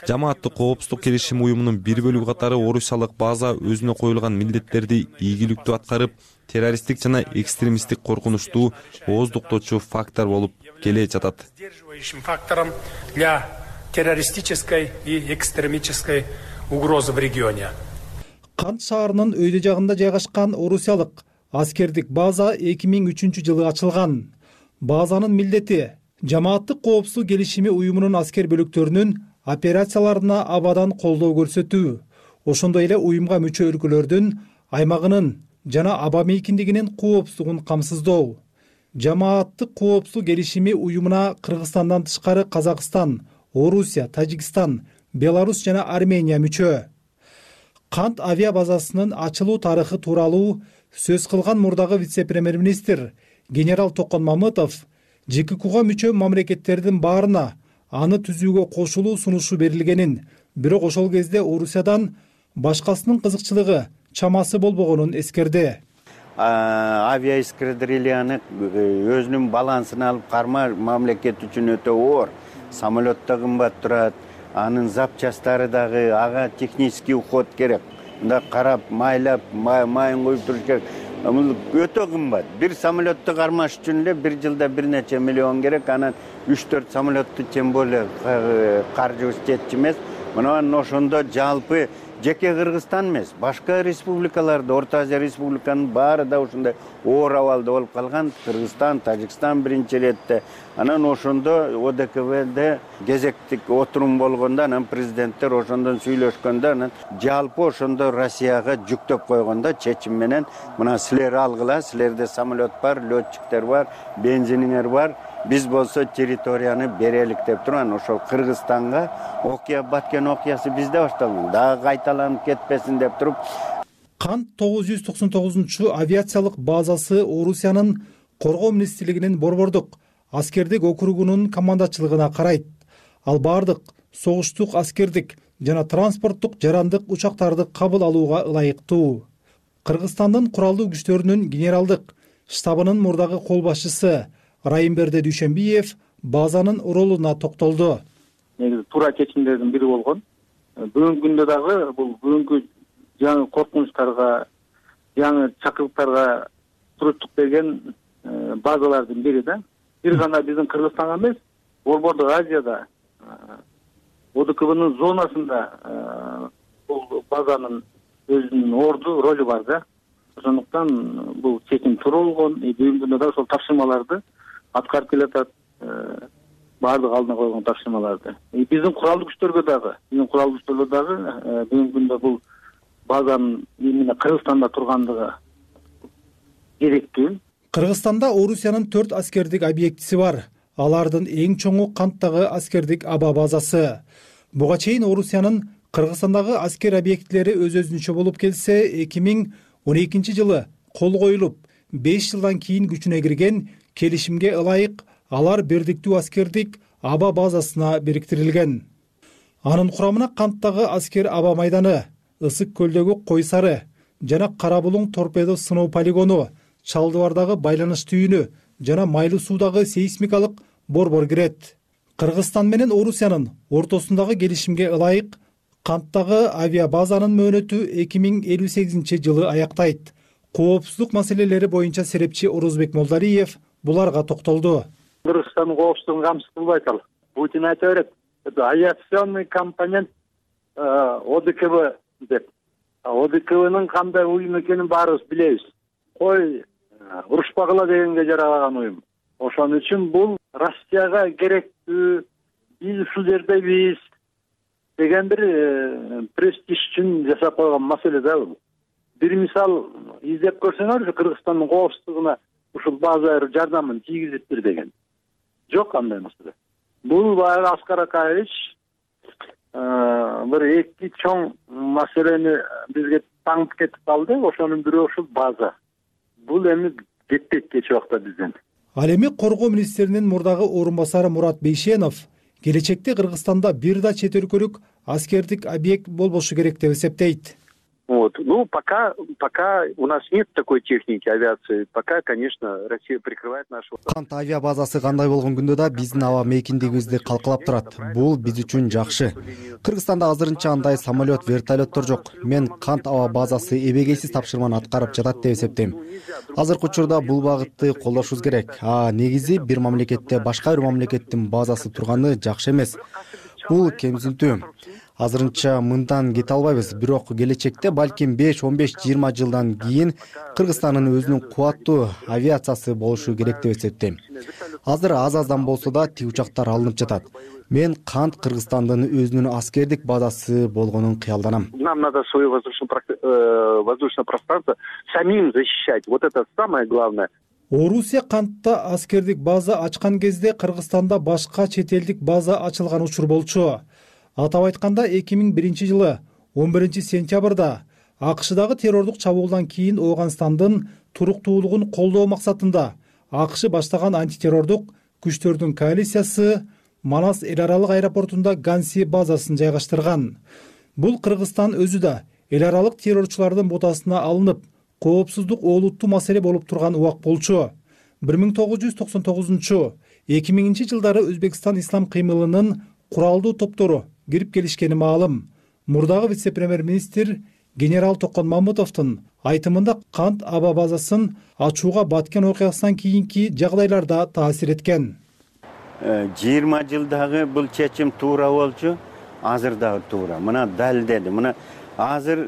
Жамааттык коопсуздук келишими уюмунун бир бөлүгү катары орусиялык база өзүнө коюлган милдеттерди ийгиликтүү аткарып, террористтик жана экстремисттик коркунучту ооздуктоочу фактор болуп келе жатат. Сдерживающим фактором для террористической и экстремистической угрозы в регионе. Кант шаарынын өйдө жагында жайгашкан орусиялык аскердик база 2003 жылы ачылган. Базанын милдети жамааттык коопсуздук келишими уюмунун аскер бөлүктөрүнүн операцияларына абадан колдоо көрсөтүү, ошондой эле уюмга мүчө өлкөлөрдүн аймагынын жана аба мейкиндигинин коопсуздугун камсыздоо. Жамааттык коопсуздук келишими уюмуна Кыргызстандан тышкары Казакстан, Орусия, Тажикстан, Беларусь жана Армения мүчө. Кант авиабазасынын ачылуу тарыхы тууралуу сөз кылган мурдагы вице-премьер-министр генерал Токон Мамытов ЖККга мүчө мамлекеттердин баарына аны түзүүгө кошулуу сунушу берилгенин, бирок ошол кезде Орусиядан башкасынын кызыкчылыгы чамасы болбогонун эскерди. Авиаэскадрильяны өзүнүн балансын алып карма мамлекет үчүн өтө оор. Самолет да кымбат турат, анын запчастары дагы ага технический уход керек. Мында карап, майлап, майын коюп туруш керек. бул өтө кымбат. Бир самолетту кармаш үчүн эле бир жылда бир нече миллион керек. Анан 3-4 самолетту тем более каржыбыз жетчү эмес. Мына ошондо жалпы жеке Кыргызстан эмес, башка республикаларда, Орто Азия республиканын баары да ушундай оор абалда болуп калган. Кыргызстан, Тажикстан биринчи иретте. Анан ошондо ОДКБде кезектик отурум болгондо, анан президенттер ошондон сүйлөшкөндө, анан жалпы ошондо Россияга жүктөп койгондо чечим менен мына силер алгыла, силерде самолет бар, летчиктер бар, бензиниңер бар. Биз болсо территорияны берелик деп турган ошол Кыргызстанга окуя баткен окуясы бизде башталган. Дагы кайталанып кетпесин деп туруп. Кант 999 авиациялык базасы Орусиянын коргоо министрлигинин борбордук аскердик округунун командачылыгына карайт. Ал бардык согуштук аскердик жана транспорттук жарандык учактарды кабыл алууга ылайыктуу. Кыргызстандын куралдуу күчтөрүнүн генералдык штабынын мурдагы кол башчысы Райымберди Дүйшөнбиев базанын ролуна токтолду. Негизи туура чечимдердин бири болгон. Бүгүнкү күндө дагы бул бүгүнкү жаңы коркунучтарга, жаңы чакырыктарга туруктук берген базалардын бири да. Бир гана биздин Кыргызстанга эмес, Борбордук Азияда ОДКБнын зонасында бул базанын өзүнүн орду, ролу бар да. Ошондуктан бул чечим туура болгон. Бүгүнкү күндө да ошол тапшырмаларды аткарып келатат, баардык алдына койгон тапшырмаларды. Биздин куралдуу күчтөргө дагы бүгүнкү күндө бул базанын именно Кыргызстанда тургандыгы керектүү. Кыргызстанда Орусиянын 4 аскердик объектиси бар. Алардын эң чоңу Канттагы аскердик аба базасы. Буга чейин Орусиянын Кыргызстандагы аскер объектилери өз-өзүнчө болуп келсе, 2012 жылы кол коюлуп, 5 жылдан кийин күчүнө кирген келишимге ылайык алар бирдиктүү аскердик аба базасына бириктирилген. Анын курамына Канттагы аскер аба майданы, Ысык көлдөгү Кой Сары жана Кара Булуң торпедо сыноо полигону, Чалдыбардагы байланыш түйүнү жана Майлуу суудагы сейсмикалык борбор кирет. Кыргызстан менен Орусиянын ортосундагы келишимге ылайык Канттагы авиабазанын мөөнөтү 2058 жылы аяктайт. Коопсуздук маселелери боюнча серепчи Орузбек Молдариев буларга токтолду. Кыргызстандын коопсуздугун камсыз кылбайт ал. Путин айта берет, это авиационный компонент ОДКБ деп. ОДКБнын кандай уюм экенин баарыбыз билебиз. Кой урушпагыла дегенге жаралаган уюм. Ошон үчүн бул Россияга керектүү, биз ушул жердебиз деген бир престиж үчүн жасап койгон маселе да бул. Бир мисал издеп көрсөңөр, Кыргызстандын коопсуздугуна ушул база жардамын тийгизиптир деген. Жок андай маселе. Бул баягы Аскар Акаевич бир эки чоң маселени бизге таңып кетип калды. Ошонун бирөө ушул база. Бул эми жетпейт кечээ убакта бизден. Ал эми коргоо министринин мурдагы орун басары Мурат Бейшенов келечекте Кыргызстанда бир да чет өлкөлүк аскердик объект болбошу керек деп эсептейт. Ну, пока у нас нет такой техники авиации, пока, конечно, Россия прикрывает нашу... Кант авиабазасы кандай болгон күндө да биздин аба мейкиндигибизди калкалап турат. Бул биз үчүн жакшы. Кыргызстанда азырынча андай самолет, вертолеттор жок. Мен Кант аба базасы эбегейсиз тапшырманы аткарып жатат деп эсептейм. Азыркы учурда бул багытты колдошубуз керек. Негизи бир мамлекетте башка бир мамлекеттин базасы турганы жакшы эмес. Бул кемсинтүү. Азырынча мындан кете албайбыз, бирок келечекте балким 5-15-20 жылдан кийин Кыргызстандын өзүнүн кубаттуу авиациясы болушу керек деп эсептейм. Азыр аз-аздан болсо да тиг учактар алынып жатат. Мен Кант Кыргызстандын өзүнүн аскердик базасы болгонун кыялданам. Нам надо свое воздушное пространство самим защищать. Вот это самое главное. Орусия Кантта аскердик база ачкан кезде Кыргызстанда башка чет элдик база ачылган учур болчу. Атап айтканда 2001 жылы 11 сентябрда АКШдагы террордук чабуулдан кийин Ооганстандын туруктуулугун колдоо максатында АКШ баштаган антитеррордук күчтөрдүн коалициясы Манас эл аралык аэропортунда Ганси базасын жайгаштырган. Бул Кыргызстан өзү да эл аралык террорчулардын ботасына алынып, коопсуздук олуттуу маселе болуп турган убак болчу. 1999-2000 жылдары Өзбекстан ислам кыймылынын куралдуу топтору кирип келишкени маалым. Мурдагы вице-премьер-министр генерал Токон Мамутовдун айтымында кант аба базасын ачууга баткен окуясынан кийинки жагдайларда таасир эткен. 20 жылдагы бул чечим туура болчу, азыр дагы туура. Мына далилдеди. Мына азыр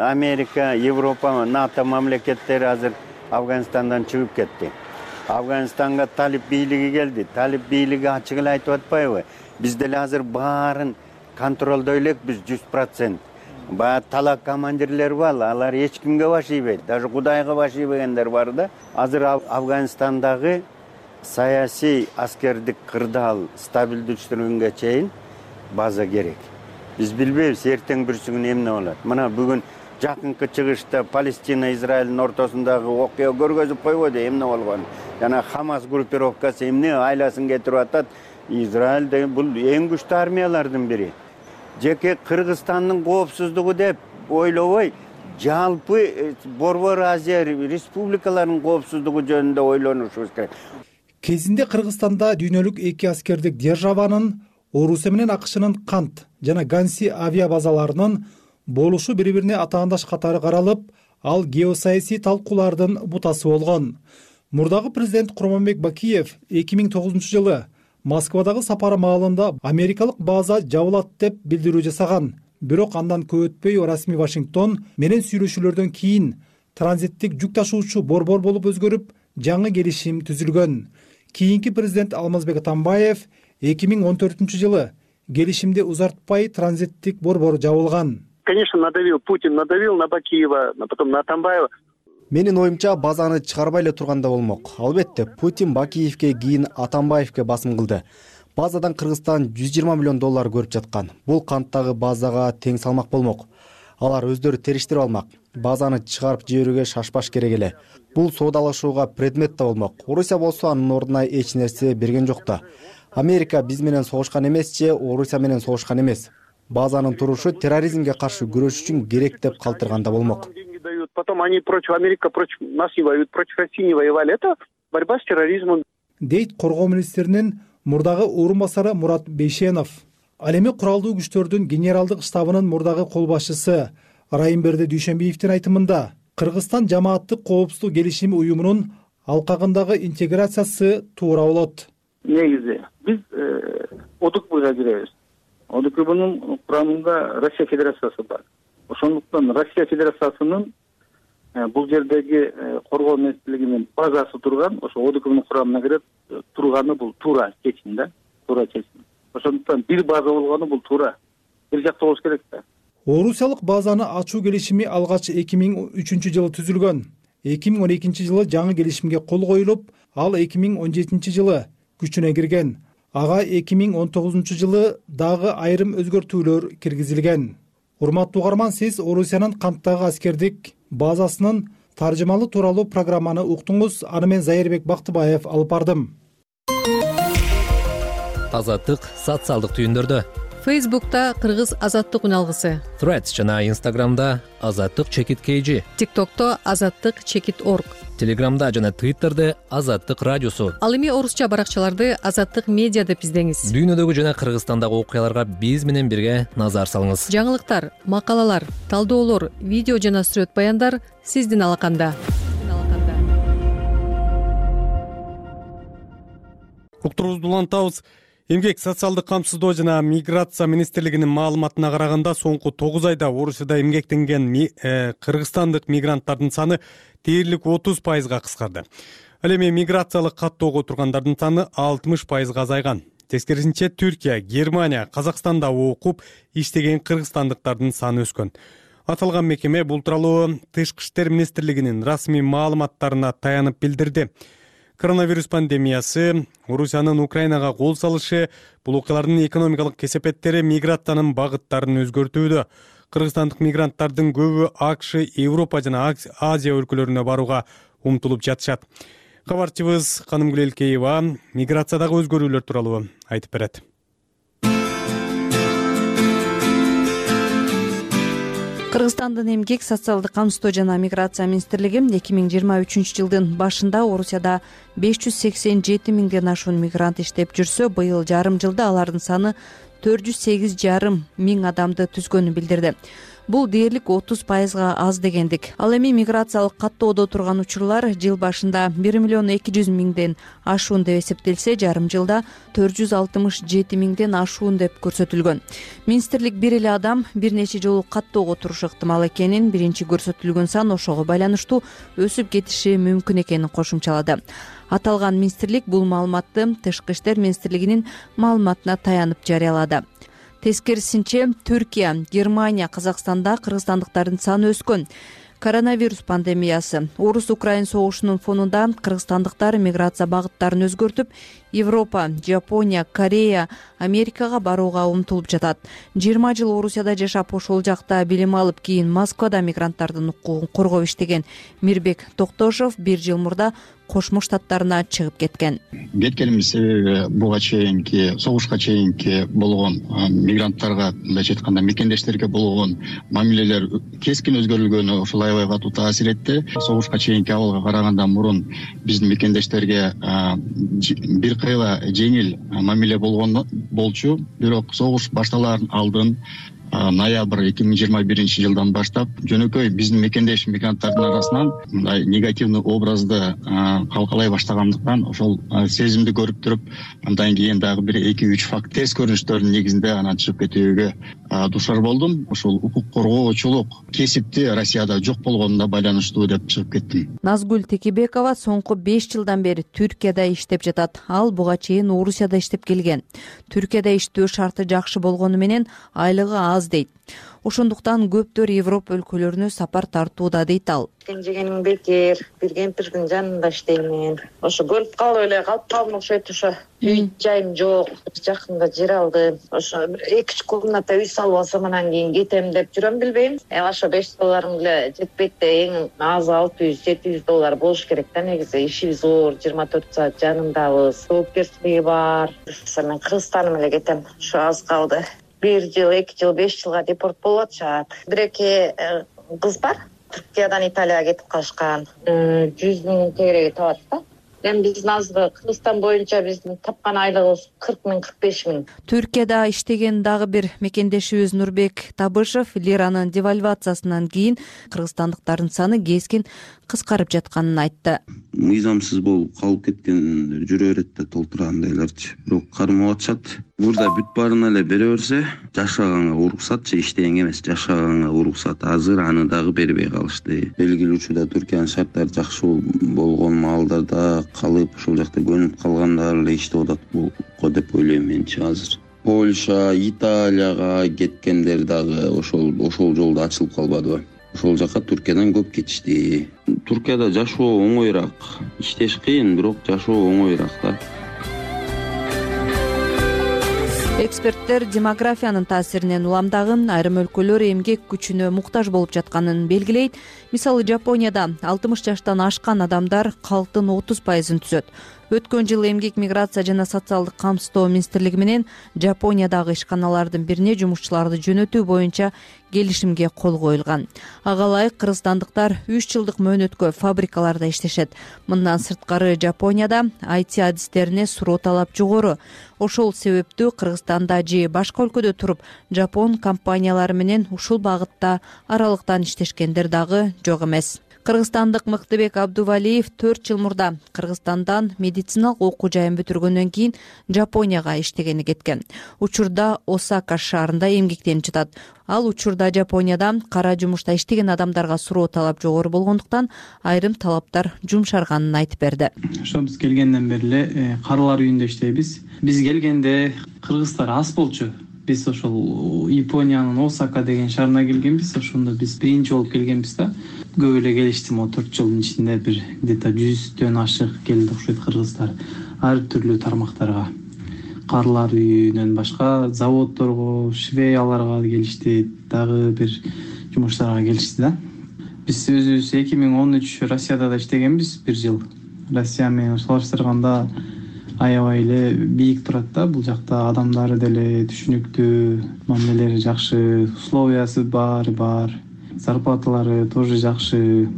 Америка, Европа, НАТО мамлекеттери азыр Афганистандан чыгып кетти. Афганистанга талип бийлиги келди. Талип бийлиги ачык эле айтып атпайбы? Биз деле азыр баарын контролдой элекпиз 100%. Баягы талак командирлер бар, алар эч кимге башыйбайт, даже Кудайга башыйбагендер бар да. Азыр Афганистандагы саясий аскердик кырдаал стабилдештирүүгө чейин база керек. Биз билбейбиз эртең бүрсүгүн эмне болот. Мына бүгүн жакынкы чыгышта Палестина Израилдин ортосундагы окуя көргөзүп койбойду эмне болгонун. Жана Хамас группировкасы эмне айласын кетирип атат. Израиль бул эң күчтүү армиялардын бири. Жеке Кыргызстандын коопсуздугу деп ойлобой, жалпы Борбор Азия республикаларынын коопсуздугу жөнүндө ойлонушубуз керек. Кезинде Кыргызстанда дүйнөлүк эки аскердик державанын Орусия менен АКШнын Кант жана Ганси авиа базаларынын болушу бири-бирине атаандаш катары каралып, ал геосаясий талкуулардын бутасы болгон. Мурдагы президент Курманбек Бакиев 2009 жылы Москвадагы сапары маалында америкалык база жабылат деп билдирүү жасаган. Бирок андан көп өтпөй расмий Вашингтон менен сүйлөшүүлөрдөн кийин транзиттик жүк ташуучу борбор болуп өзгөрүп, жаңы келишим түзүлгөн. Кийинки президент Алмазбек Атамбаев 2014 жылы келишимди узартпай транзиттик борбор жабылган. Конечно, Путин надавил на Бакиева, потом на Атамбаева. Менин оюмча базаны чыгарбай эле турганда болмок. Албетте, Путин Бакиевке кийин Атамбаевке басым кылды. Базадан Кыргызстан $120 миллион көрүп жаткан. Бул канттагы базага тең салмак болмок. Алар өздөрү териштирип алмак. Базаны чыгарып жиберүүгө шашпаш керек эле. Бул соодалашууга предмет да болмок. Орусия болсо анын ордуна эч нерсе берген жок да. Америка биз менен согушкан эмес же Орусия менен согушкан эмес. Базанын турушу терроризмге каршы күрөш үчүн керек деп калтырганда болмок. Потом они против Америки, против нас не воюют, против России не воевали. Это борьба с терроризмом. Дейт коргоо министринин мурдагы орун басары Мурат Бейшенов. Ал эми куралдуу күчтөрдүн генералдык штабынын мурдагы кол башчысы Райымберди Дүйшөнбиевдин айтымында Кыргызстан жамааттык коопсуздук келишими уюмунун алкагындагы интеграциясы туура болот. Негизи биз ОДКБга киребиз. ОДКБнын курамында Россия Федерациясы бар. Ошондуктан Россия Федерациясынын бул жердеги коргоо министрлигинин базасы турган, ошо ОДКБнын курамына кирип турганы бул туура чечим да, туура чечим. Ошондуктан бир база болгону бул туура. Бир жакта болуш керек да. Орусиялык базаны ачуу келишими алгач 2003 жылы түзүлгөн. 2012 жылы жаңы келишимге кол коюлуп, ал 2017 жылы күчүнө кирген. Ага 2019 жылы дагы айрым өзгөртүүлөр киргизилген. Урматтуу угарман, сиз Орусиянын Канттагы аскердик базасынын таржымалуу тууралуу программаны уктуңуз. Аны мен Зайырбек Бактыбаев алып бардым. Азаттык социалдык түйүндөрдө. Фейсбукта Кыргыз азаттык үналгысы. Threads жана Инстаграмда азаттык чекит KG. ТикТокто азаттык чекит орг. Телеграмда жана Твиттерде азаттык радиосу. Ал эми орусча баракчаларды азаттык медиа деп издеңиз. Дүйнөдөгү жана Кыргызстандагы окуяларга биз менен бирге назар салыңыз. Жаңылыктар, макалалар, талдоолор, видео жана сүрөт баяндар сиздин алаканда. Уктуруубузду улантабыз. Эмгек социалдык камсыздоо жана миграция министрлигинин маалыматына караганда соңку 9 айда Орусияда эмгектенген кыргызстандык мигранттардын саны дээрлик 30%га кыскарды. Ал эми миграциялык каттоого тургандардын саны 60%га азайган. Тескерисинче Түркия, Германия, Казакстанда окуп иштеген кыргызстандыктардын саны өскөн. Аталган мекеме бул тууралуу Тышкы иштер министрлигинин расмий маалыматтарына таянып билдирди. Коронавирус пандемиясы, Орусиянын Украинага кол салышы, бул окуялардын экономикалык кесепеттери миграциянын багыттарын өзгөртүүдө. Кыргызстандык мигранттардын көбү АКШ, Европа жана Азия өлкөлөрүнө барууга умтулуп жатышат. Кабарчыбыз Канымгүл Элкеева миграциядагы өзгөрүүлөр тууралуу айтып берет. Кыргызстандын эмгек, социалдык камсыздоо жана миграция министрлиги 2023 жылдын башында Орусияда 587 миңден ашуун мигрант иштеп жүрсө, быйыл жарым жылда алардын саны 408,5 миң адамды түзгөнүн билдирди. бул дээрлик 30%га аз дегендик. Ал эми миграциялык каттоодо турган учурлар жыл башында 1,2 миллион ашуун деп эсептелсе, жарым жылда 467 миңден ашуун деп көрсөтүлгөн. Министрлик бир эле адам бир нече жолу каттоого турушу ыктымал экенин, биринчи көрсөтүлгөн сан ошого байланыштуу өсүп кетиши мүмкүн экенин кошумчалады. Аталган министрлик бул маалыматты Тышкы иштер министрлигинин маалыматына таянып жарыялады. Тескерисинче, Түркия, Германия, Казакстанда кыргызстандыктардын саны өскөн. Коронавирус пандемиясы, Орус-Украин согушунун фонунда кыргызстандыктар миграция багыттарын өзгөртүп, Европа, Жапония, Корея, Америкага барууга умтулуп жатат. 20 жыл Орусияда жашап, ошол жакта билим алып, кийин Москвада мигранттардын укугун коргоп иштеген Мирбек Токтошов 1 жыл мурда Кошмо Штаттарына чыгып кеткен. Кеткенimiz себеби буга чейинки согушка чейинки болгон мигранттарга, мындайча айтканда мекендештерге болгон мамилелер кескин өзгөрүлгөнү ушул аябай катуу таасир этти. Согушка чейинки абалга караганда мурун биздин мекендештерге бир кыйла жеңил мамиле болчу. Бирок согуш башталарын алдын ноябрь 2021 жылдан баштап жөнөкөй биздин мекендеш мигранттардын арасынан мындай негативный образды калкалай баштагандыктан ошол сезимди көрүп туруп, андан кийин дагы бир 2-3 факт терс көрүнүштөрдүн негизинде анан чыгып кетүүгө душар болдум. Ошол укук коргоочулук кесипти Россияда жок болгонуна байланыштуу деп чыгып кеттим. Назгүл Текебекова соңку 5 жылдан бери Түркияда иштеп жатат. Ал буга чейин Орусияда иштеп келген. Түркияда иштөө шарты жакшы болгону менен айлыгы аз дейт. Ошондуктан көптөр Европа өлкөлөрүнө сапар тартууда дейт ал. Жегеним бекер, бир кемпирдин жанында иштеймин. Ошо бөлүп калып эле калып калдым, окшойт. Ошо үй жайым жок, жакында жер алдым. Ошо 2 комната үй салып алсам анан кийин кетем деп жүрөм, билбейм. Ошо $5 эле жетпейт да, эң аз $600-700 болуш керек да. Негизи ишибиз зор, 24 саат жанындабыз, жоопкерчилиги бар. Мен Кыргызстаным эле кетем. Ошо аз калды. 1 жыл, 2 жыл, 5 жылга депорт болуп атышат. Бир-эки кыз бар. Түркиядан Италияга кетип калышкан. 100 миң тегереги табат да. Эми биздин азыркы Кыргызстан боюнча биздин тапкан айлыгыбыз 40 миң, 45 миң. Түркияда иштеген дагы бир мекендешибиз Нурбек Табышев лиранын девальвациясынан кийин кыргызстандыктардын саны кескин кыскарып жатканын айтты. Мыйзамсыз болуп калып кеткендер жүрө берет да, толтургандайларчы. Бирок кармап атышат. Мурда бүт баарына эле бере берсе, жашаганга уруксатчы, иштегенге эмес, жашаганга уруксат. Азыр аны дагы бербей калышты. Белгилүү учурда Түркиянын шарттары жакшы болгон маалдарда калып, ошол жакта көнүп калгандар эле иштеп атат го деп ойлойм менчи азыр. Польша, Италияга кеткендер дагы ошол жолдо ачылып калбадыбы? Ошол жака Түркиядан көп кетишти. Түркияда жашоо оңоюраак, иштеш кыйын, бирок жашоо оңоюраак да. Эксперттер демографиянын таасиринен уламдагы айрым өлкөлөр эмгек күчүнө муктаж болуп жатканын белгилейт. Мисалы, Жапонияда 60 жаштан ашкан адамдар калктын 30%-ын түзөт. Өткөн жылы эмгек миграция жана социалдык камсыздоо министрлиги менен Жапониядагы ишканалардын бирине жумушчуларды жөнөтүү боюнча келишимге кол коюлган. Ага ылайык кыргызстандыктар 3 жылдык мөөнөткө фабрикаларда иштешет. Мындан сырткары Жапонияда IT адистерине суроо талап жогору. Ошол себептүү Кыргызстанда же башка өлкөдө туруп жапон компаниялары менен ушул багытта аралыктан иштешкендер дагы жок эмес. Кыргызстандык Мыктыбек Абдувалиев 4 жыл мурда Кыргызстандан медициналык окуу жайын бүтүргөндөн кийин Жапонияга иштегени кеткен. Учурда Осака шаарында эмгектенип жатат. Ал учурда Жапонияда кара жумушта иштеген адамдарга суроо талап жогору болгондуктан айрым талаптар жумшарганын айтып берди. Ошо биз келгенден бери эле карылар үйүндө иштейбиз. Биз келгенде кыргыздар аз болчу. Биз ошол Япониянын Осака деген шаарына келгенбиз. Ошондо биз биринчи болуп келгенбиз да. Көп эле келишти, 4 жылдын ичинде бир где-то 100дөн ашык келди окшойт кыргыздар. Ар түрлүү тармактарга. Карылар үйүнөн башка заводдорго, швеяларга келишти, дагы бир жумуштарга келишти да. Биз өзүбүз 2013 Россияда да иштегенбиз 1 жыл. Россия менен салыштырганда аябай эле бийик турат да, бул жакта адамдары деле түшүнүктүү, мамилелери жакшы, условиясы бар. Зарплаталары тоже жакшы.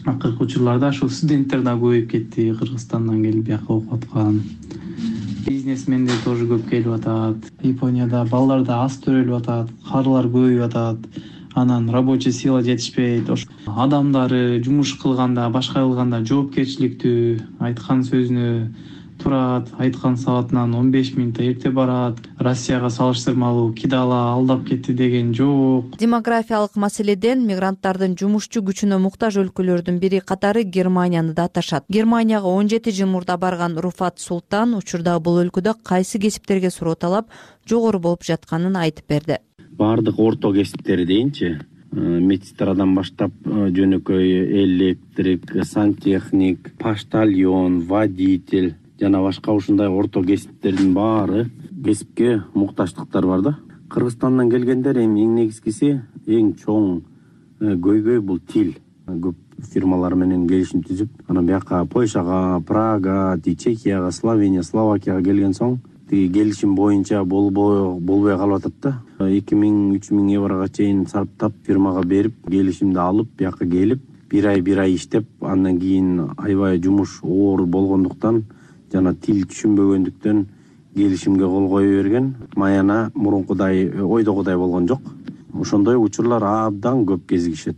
Акыркы учурларда ошол студенттер да көбөйүп кетти, Кыргызстандан келип бияка окуп аткан. Бизнесмендер тоже көп келип атат. Японияда балдар да аз төрөлүп атат, карылар көбөйүп атат. анан рабочий сила жетишпейт, ошо адамдары жумуш кылганда, башка кылганда жоопкерчиликтүү, айткан сөзүнө турат, айткан саатынан 15 мүнөт эрте барат, Россияга салыштырмалуу кидала алдап кетти деген жок. Демографиялык маселеден мигранттардын жумушчу күчүнө муктаж өлкөлөрдүн бири катары Германияны да аташат. Германияга 17 жыл мурда барган Руфат Султан учурда бул өлкөдө кайсы кесиптерге суроо талап жогору болуп жатканын айтып берди. Бардык орто кесиптер дейинчи, медсестрадан баштап жөнөкөй электрик, сантехник, поштальон, водитель жана башка ушундай орто кесиптердин баары кесипке муктаждыктар бар да. Кыргызстандан келгендер эми эң негизгиси, эң чоң көйгөй бул тил. Көп фирмалар менен келишим түзүп, анан бияка Польшага, Прага, Чехияга, Словения, Словакияга келген соң келишим боюнча болбой калып атат да. 2000-3000 еврого чейин сарптап фирмага берип, келишимди алып, бияка келип, бир ай иштеп, андан кийин аябай жумуш оор болгондуктан жана тил түшүнбөгөндүктөн келишимге кол кое берген. Маяна мурункудай ойдогудай болгон жок. Ошондой учурлар абдан көп кезигишет.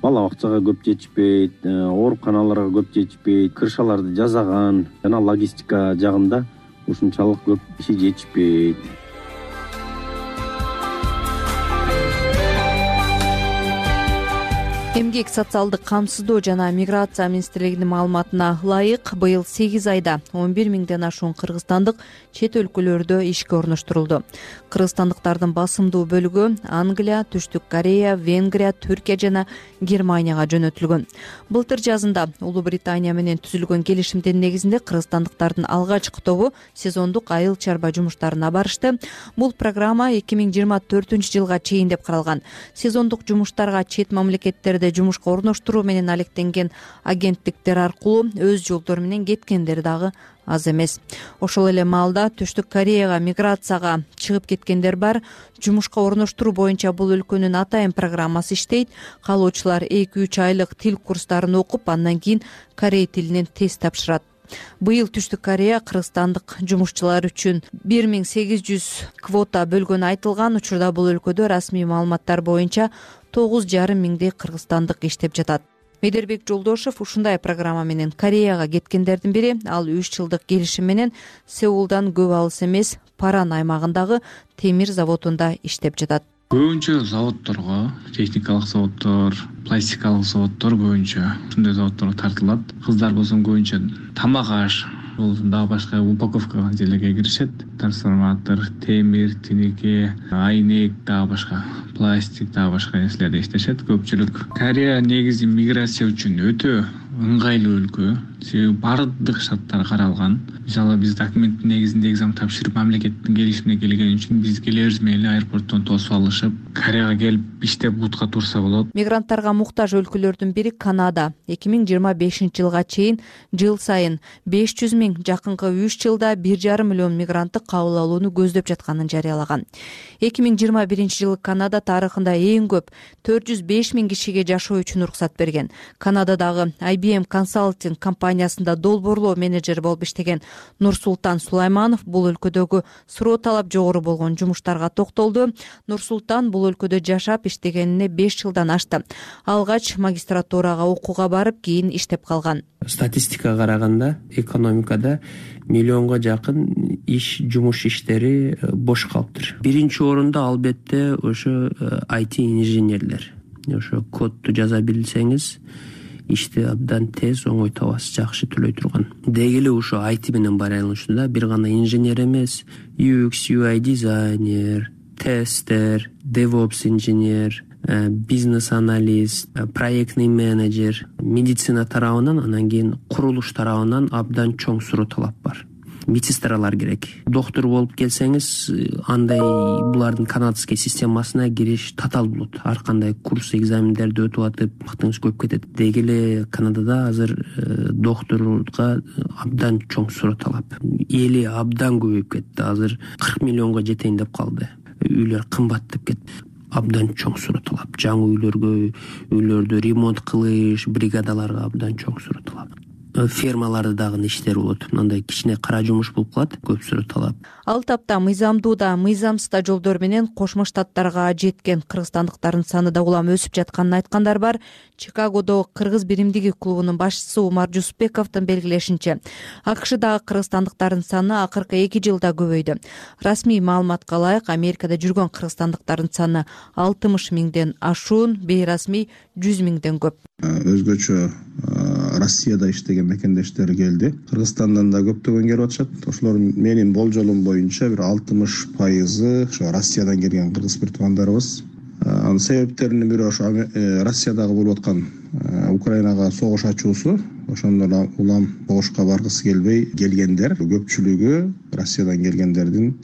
Бала бакчага көп жетишпейт, ооруканаларга көп жетишпейт, крышаларды жасаган жана логистика жагында ушунчалык көп киши жетишпейт. Эмгек социалдык камсыздоо жана миграция министрлигинин маалыматына ылайык, быйыл 8 айда 11 миңден ашуун кыргызстандык чет өлкөлөрдө ишке орноштурулду. Кыргызстандыктардын басымдуу бөлүгү Англия, Түштүк Корея, Венгрия, Түркия жана Германияга жөнөтүлгөн. Былтыр жазында Улуу Британия менен түзүлгөн келишимдин негизинде кыргызстандыктардын алгачкы тобу сезондук айыл чарба жумуштарына барышты. Бул программа 2024-жылга чейин деп каралган. Сезондук жумуштарга чет мамлекеттерде жумушка орноштуруу менен алектенген агенттиктер аркылуу өз жолдору менен кеткендер дагы аз эмес. Ошол эле маалда Түштүк Кореяга миграцияга чыгып кеткендер бар. Жумушка орноштуруу боюнча бул өлкөнүн атайын программасы иштейт. Каалоочулар 2-3 айлык тил курстарын окуп, андан кийин корей тилинен тест тапшырат. Быйыл Түштүк Корея кыргызстандык жумушчулар үчүн 1800 квота бөлгөнү айтылган. Учурда бул өлкөдө расмий маалыматтар боюнча 9,5 миңдей кыргызстандык иштеп жатат. Медербек Жолдошев ушундай программа менен Кореяга кеткендердин бири. Ал 3 жылдык келишим менен Сеулдан көп алыс эмес Паран аймагындагы темир заводунда иштеп жатат. Көбүнчө заводдорго, техникалык заводдор, пластикалык заводдор көбүнчө ушундай заводдорго тартылат. Кыздар болсо көбүнчө тамак аш, дагы башка упаковка жерлерге киришет. Трансформатор, темир, тинеке, айнек, дагы башка пластик, дагы башка нерселерде иштешет көпчүлүк. Корея негизи миграция үчүн өтө ыңгайлуу өлкө. Себеби бардык шарттар каралган. Мисалы биз документтин негизинде экзамен тапшырып, мамлекеттин келишимине келген үчүн биз келебиз менен аэропорттон тосуп алышып, Кореяга келип иштеп бутка турса болот. Мигранттарга муктаж өлкөлөрдүн бири Канада. 2025-жылга чейин жыл сайын 500 миң, жакынкы 3 жылда 1,5 миллион мигрантты кабыл алууну көздөп жатканын жарыялаган. 2021-жылы Канада тарыхында эң көп 405 миң кишиге жашоо үчүн уруксат берген. Канададагы IBM Consulting компаниясында долбоорлоо менеджери болуп иштеген Нурсултан Сулайманов бул өлкөдөгү суроо талап жогору болгон жумуштарга токтолду. Нурсултан бул өлкөдө жашап иштегенине 5 жылдан ашты. Алгач магистратурага окууга барып, кийин иштеп калган. Статистикага караганда экономикада миллионго жакын жумуш иштери бош калыптыр. Биринчи орунда албетте ошо IT инженерлер. Ошо кодду жаза билсеңиз, ишти абдан тез, оңой табасыз, жакшы төлөй турган. Деги эле ушо IT менен байланыштуу да, бир гана инженер эмес, UX, UI дизайнер, тестер, DevOps инженер, бизнес-аналист, проектный менеджер, медицина тарабынан, анан кийин курулуш тарабынан абдан чоң суроо талап бар. Медсестралар керек. Доктор болуп келсеңиз, андай булардын канадский системасына кириш татаал болот. Ар кандай курс, экзамендерди өтүп атып, вактыңыз көп кетет. Деги эле Канадада азыр докторга абдан чоң суроо талап. Эли абдан көбөйүп кетти. Азыр 40 миллионго жетейин деп калды. Үйлөр кымбаттап кетти. Абдан чоң суроо талап. Жаңы үйлөрдө ремонт кылыш, бригадаларга абдан чоң суроо талап. фермаларда дагы иштер болот. Мындай кичине кара жумуш болуп калат, көпсүрө талап. Ал тапта мыйзамдуу да, мыйзамсыз да жолдор менен Кошмо Штаттарга жеткен кыргызстандыктардын саны да улам өсүп жатканын айткандар бар. Чикагодо Кыргыз биримдиги клубунун башчысы Умар Жусупбековдун белгилешинче, АКШдагы кыргызстандыктардын саны акыркы 2 жылда көбөйдү. Расмий маалыматка ылайык, Америкада жүргөн кыргызстандыктардын саны 60 миңден ашуун, бейрасмий 100 миңден көп. Өзгөчө Россияда иштеген мекендештер келди. Кыргызстандан да көптөгөн келип атышат. Ошолор менин болжолум боюнча бир 60% ошо Россиядан келген кыргыз бир туугандарыбыз. Анын себептеринин бири ошо Россиядагы болуп аткан Украинага согуш ачуусу. Ошондон улам согушка баргысы келбей келгендер. Көпчүлүгү Россиядан келгендердин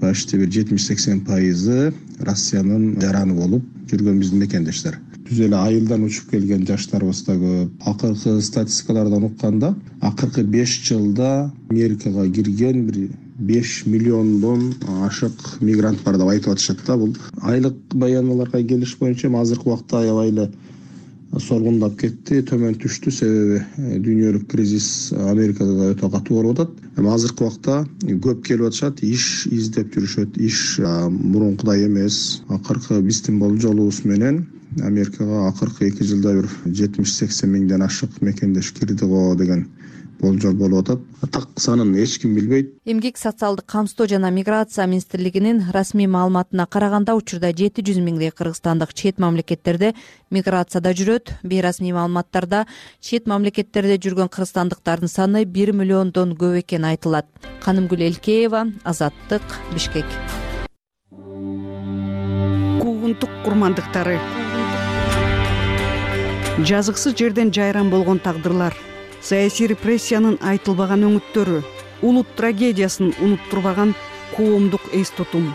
почти бир 70-80% Россиянын жараны болуп жүргөн биздин мекендештер. Түз эле айылдан учуп келген жаштарыбыз да көп. Акыркы статистикалардан укканда, акыркы 5 жылда Америкага кирген бир 5 миллиондон ашык мигрант бар деп айтып атышат да. Бул айлык баяналарга келиш боюнча азыркы убакта аябай эле соргундап кетти, төмөн түштү, себеби дүйнөлүк кризис Америкада да өтө катуу болуп атат. Азыркы убакта көп келип атышат, иш издеп жүрүшөт, иш мурункудай эмес. Акыркы биздин болжолубуз менен Америкага акыркы 2 жылда бир 70-80 миңден ашык мекендеш кирди го деген болжол болуп атат. Так санын эч ким билбейт. Эмгек социалдык камсыздоо жана миграция министрлигинин расмий маалыматына караганда учурда 700 миңдей кыргызстандык чет мамлекеттерде миграцияда жүрөт. Бейрасмий маалыматтарда чет мамлекеттерде жүргөн кыргызстандыктардын саны 1 миллиондон көп экени айтылат. Канымгүл Элкеева, Азаттык, Бишкек. Куугунтук курмандыктары. Жазыксыз жерден жайран болгон тагдырлар, саясий репрессиянын айтылбаган өңүттөрү, улут трагедиясын унуттурбаган коомдук эс тутум.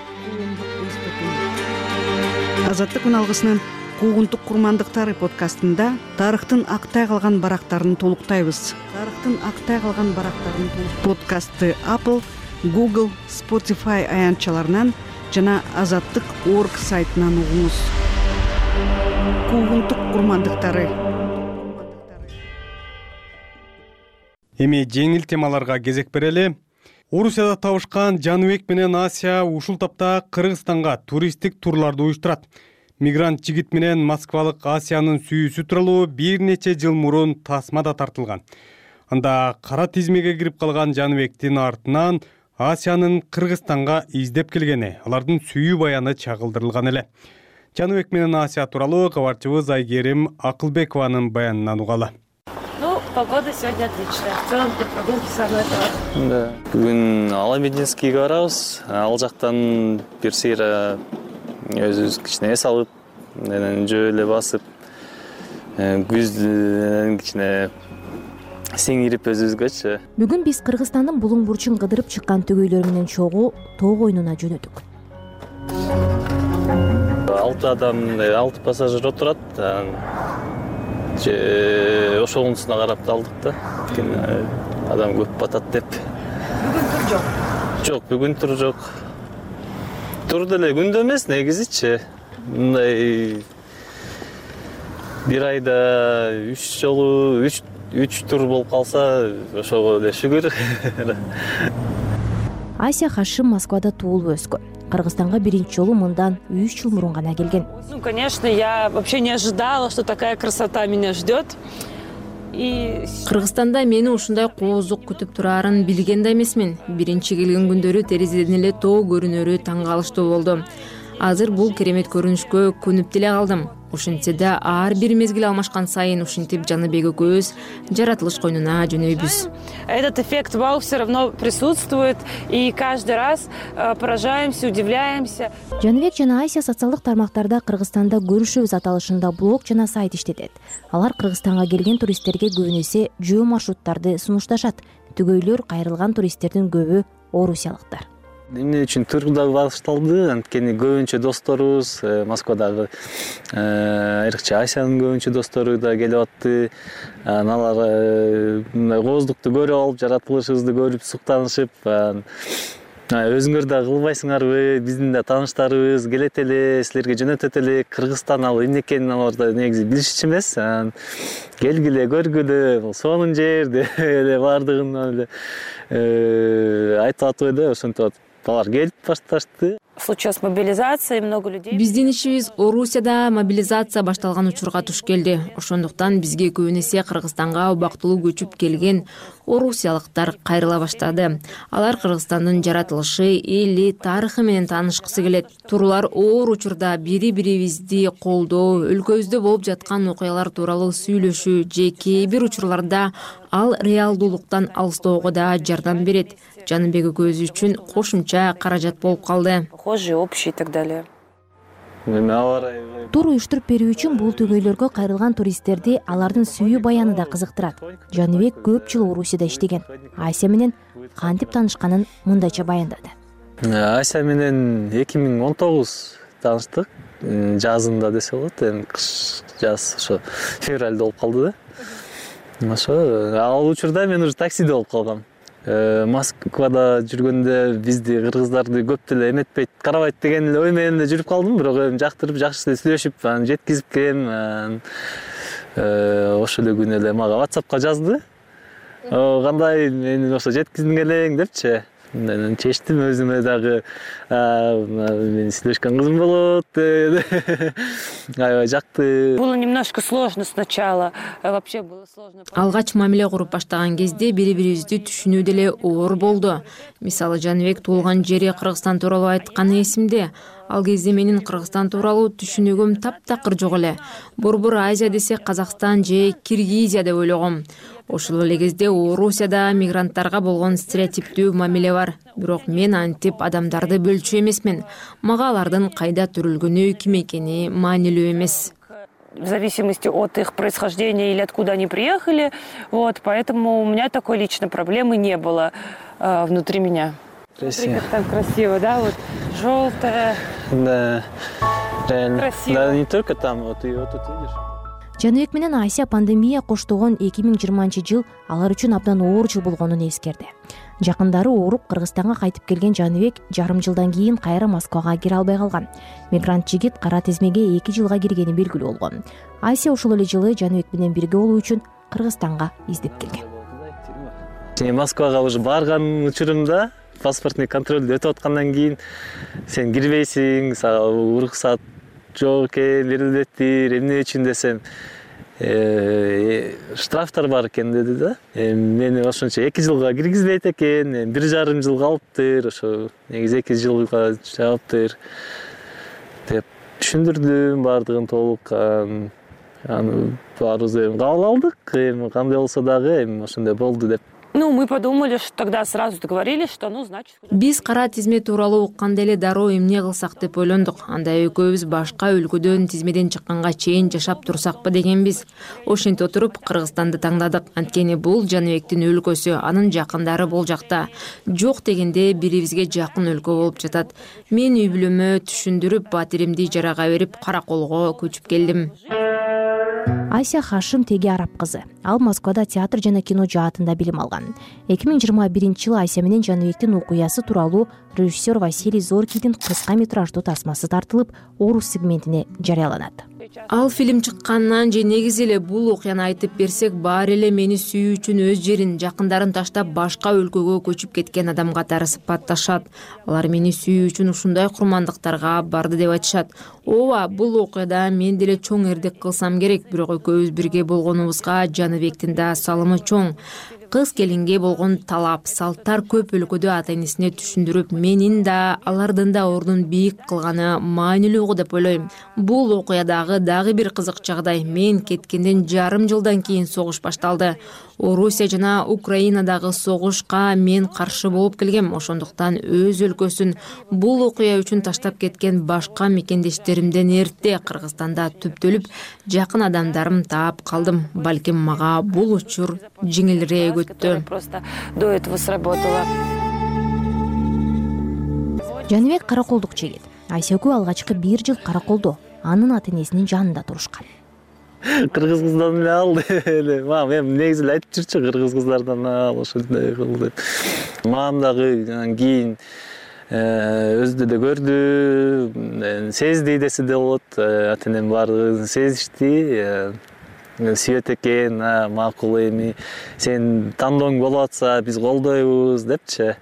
Азаттык үналгысынын Куугунтук курмандыктары подкастында тарыхтын актай калган барактарын толуктайбыз. Подкастты Apple, Google, Spotify аянтчаларынан жана Азаттык.org сайтынан угуңуз. Куугунтук курмандыктары. Эми жеңил темаларга кезек берели. Орусияда табышкан Жаныбек менен Асия ушул тапта Кыргызстанга туристтик турларды уюштурат. Мигрант жигит менен москвалык Асиянын сүйүүсү тууралуу бир нече жыл мурун тасмада тартылган. Анда кара тизмеге кирип калган Жаныбектин артынан Асиянын Кыргызстанга издеп келгени, алардын сүйүү баяны чагылдырылган эле. Жаныбек менен Асия тууралуу кабарчыбыз Айгерим Акылбекованын баянынан угалы. Погода сегодня отличная. В целом для прогулки самое то. Да. Бүгүн Аламединскийге барабыз. Ал жактан бир сыйра өзүбүз кичине эс алып, жөө эле басып, күздүн кичине сиңирип өзүбүзгөчү. Бүгүн биз Кыргызстандын булуң бурчун кыдырып чыккан төгөйлөр менен чогуу тоо коюнуна жөнөдүк. 6 адам, 6 пассажир отурат. Ошонусуна карап алдык да. Адам көп батат деп. Бүгүн тур жок. Жок, бүгүн тур жок. Тур деле күндө эмес, негизичи. Мындай бир айда 3 жолу 3 тур болуп калса, ошого эле шүгүр. Асия Хашим Москвада туулуп өскөн. Кыргызстанга биринчи жолу мындан 3 жыл мурун гана келген. Ну, конечно, я вообще не ожидала, что такая красота меня ждет. Кыргызстанда мени ушундай коозук күтүп турарын билген да эмесмин. Биринчи келген күндөрү терезеден эле тоо көрүнөрү таң калыштуу болду. Азыр бул керемет көрүнүшкө көнүп деле калдым. Ошентсе да ар бир мезгил алмашкан сайын ушинтип Жаныбек экөөбүз жаратылыш койнуна жөнөйбүз. Этот эффект вау все равно присутствует, и каждый раз поражаемся, удивляемся. Жаныбек жана Асия социалдык тармактарда Кыргызстанда көрүшөбүз аталышында блог жана сайт иштетет. Алар Кыргызстанга келген туристтерге көбүнесе жөө маршруттарды сунушташат. Төгөйлөр кайрылган туристтердин көбү орусиялыктар. Эмне үчүн тур да башталды? Анткени көбүнчө досторубуз Москвадагы айрыкча Асиянын көбүнчө достору да келип атты. Алар кооздукту көрүп алып, жаратылышыбызды көрүп суктанышып, өзүңөр да кылбайсыңарбы, биздин да тааныштарыбыз келет эле, силерге жөнөтөт эле. Кыргызстан ал эмне экенин алар да негизи билишчү эмес. Келгиле, көргүлө, бул сонун жер деп эле баардыгын эле айтып атып эле, ошентип атып алар келип башташты. Случилась мобилизация, много людей. Биздин ишибиз Орусияда мобилизация башталган учурга туш келди. Ошондуктан бизге көбүн эсе Кыргызстанга убактылуу көчүп келген орусиялыктар кайрыла баштады. Алар Кыргызстандын жаратылышы, эли, тарыхы менен таанышкысы келет. Турлар оор учурда бири-бирибизди колдоо, өлкөбүздө болуп жаткан окуялар тууралуу сүйлөшүү же кээ бир учурларда ал реалдуулуктан алыстоого да жардам берет. Жаныбек экөөбүз үчүн кошумча каражат болуп калды. Похожие, общие и так далее. Тур уюштуруп берүү үчүн бул түгөйлөргө кайрылган туристтерди алардын сүйүү баяны да кызыктырат. Жаныбек көп жыл Орусияда иштеген. Ася менен кантип таанышканын мындайча баяндады. Ася менен 2019 тааныштык. Жазында десе болот, эми кыш жаз ошо февралда болуп калды да. Ошо ал учурда мен уже таксиде болуп калгам. Москвада жүргөндө бизди кыргыздарды көп деле эметпейт, карабайт деген ой менен эле жүрүп калдым, бирок эми жактырып жакшы эле сүйлөшүп, жеткизип келем. Ошол эле күнү эле мага WhatsAppка жазды. Кандай мени ошо жеткиздиң элең депчи. Мен чечтим өзүмө дагы, мен сүйлөшкөн кызым болот деп. Аябай жакты. Было немножко сложно сначала. Вообще было сложно. Алгач мамиле куруп баштаган кезде бири-бирибизди түшүнүү деле оор болду. Мисалы Жаныбек туулган жери Кыргызстан тууралуу айтканы эсимде. Ал кезде менин Кыргызстан тууралуу түшүнүгүм таптакыр жок эле. Борбор Азия десе Казакстан же Киргизия деп ойлогом. Ошол эле кезде Орусияда мигранттарга болгон стереотиптүү мамиле бар. Бирок мен антип адамдарды бөлчү эмесмин. Мага алардын кайда төрөлгөнү, ким экени маанилүү эмес. В зависимости от их происхождения или откуда они приехали. Поэтому у меня такой личной проблемы не было внутри меня. Красиво. Как там красиво, да? Вот желтое. Да, реально. Красиво. Да, не только там, вот и вот тут видишь. Жаныбек менен Ася пандемия коштогон 2020-жыл алар үчүн абдан оор жыл болгонун эскерди. Жакындары ооруп Кыргызстанга кайтып келген Жаныбек жарым жылдан кийин кайра Москвага кире албай калган. Мигрант жигит кара тизмеге 2 жылга киргени белгилүү болгон. Ася ошол эле жылы Жаныбек менен бирге болуу үчүн Кыргызстанга издеп келген. Москвага уже барган учурумда паспортный контролду өтүп аткандан кийин сен кирбейсиң, сага уруксат жок экен, берилбептир, эмне үчүн десем, штрафтар бар экен деди да. Мени ошончо 2 жылга киргизбейт экен, 1,5 жыл калыптыр, ошо негизи 2 жылга жаптыр деп түшүндүрдүм баардыгын толук. Аны баарыбыз эми кабыл алдык, эми кандай болсо дагы эми ошондой болду деп. Мы подумали, что тогда сразу договорились, что значит. Биз кара тизме тууралуу укканда эле дароо эмне кылсак деп ойлондук. Анда экөөбүз башка өлкөдөн тизмеден чыкканга чейин жашап турсакпы дегенбиз. Ошентип отуруп Кыргызстанды таңдадык. Анткени бул Жаныбектин өлкөсү, анын жакындары бул жакта. Жок дегенде бирибизге жакын өлкө болуп жатат. Мен үй бүлөмө түшүндүрүп, батиримди ижарага берип, Караколго көчүп келдим. Ася Хашим теги араб кызы. Ал Москвада театр жана кино жаатында билим алган. 2021-жылы Ася менен Жаныбектин окуясы тууралуу режиссер Василий Зоркийдин кыска метраждуу тасмасы тартылып, Орус сегментине жарыяланат. Ал фильм чыккандан же негизи эле бул окуяны айтып берсек, баары эле мени сүйүү үчүн өз жерин, жакындарын таштап башка өлкөгө көчүп кеткен адам катары сыпатташат. Алар мени сүйүү үчүн ушундай курмандыктарга барды деп айтышат. Ооба, бул окуяда мен деле чоң эрдик кылсам керек, бирок экөөбүз бирге болгонубузга Жаныбектин да салымы чоң. Кыз келинге болгон талап, салттар көп өлкөдө ата-энесине түшүндүрүп, менин да, алардын да ордун бийик кылганы маанилүү деп ойлойм. Бул окуядагы дагы бир кызык жагдай, мен кеткенден жарым жылдан кийин согуш башталды. Орусия жана Украинадагы согушка мен каршы болуп келгем. Ошондуктан өз өлкөсүн бул окуя үчүн таштап кеткен башка мекендештеримден эрте Кыргызстанда түптөлүп, жакын адамдарым таап калдым. Балким мага бул учур жеңилирээк өттү. Просто до этого сработало. Жаныбек Караколдук жигит. Ася экөө алгачкы 1 жыл Караколдо анын ата-энесинин жанында турушкан. Кыргыз кыздан эле ал эле. Мам эми негизи эле айтып жүрчү, кыргыз кыздардан ал ошондой кыл деп. Мам дагы анан кийин өзү да көрдү, сезди десе да болот. Ата энем баардыгын сезишти. Сүйөт экен, макул эми сен тандооң болуп атса биз колдойбуз депчи.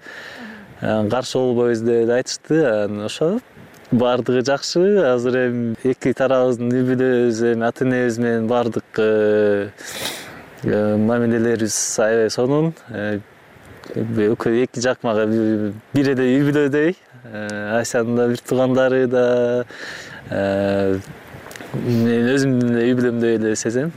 Каршы болбойбуз деп айтышты. Ошо баардыгы жакшы. Азыр эми эки тарабыбыздын үй-бүлөбүз, ата энебиз менен баардык мамилелерибиз аябай сонун. Эки жак мага бир эле үй-бүлөдөй. Айсанын да бир туугандары да, мен өзүмдүн үй-бүлөмдөй эле сезем.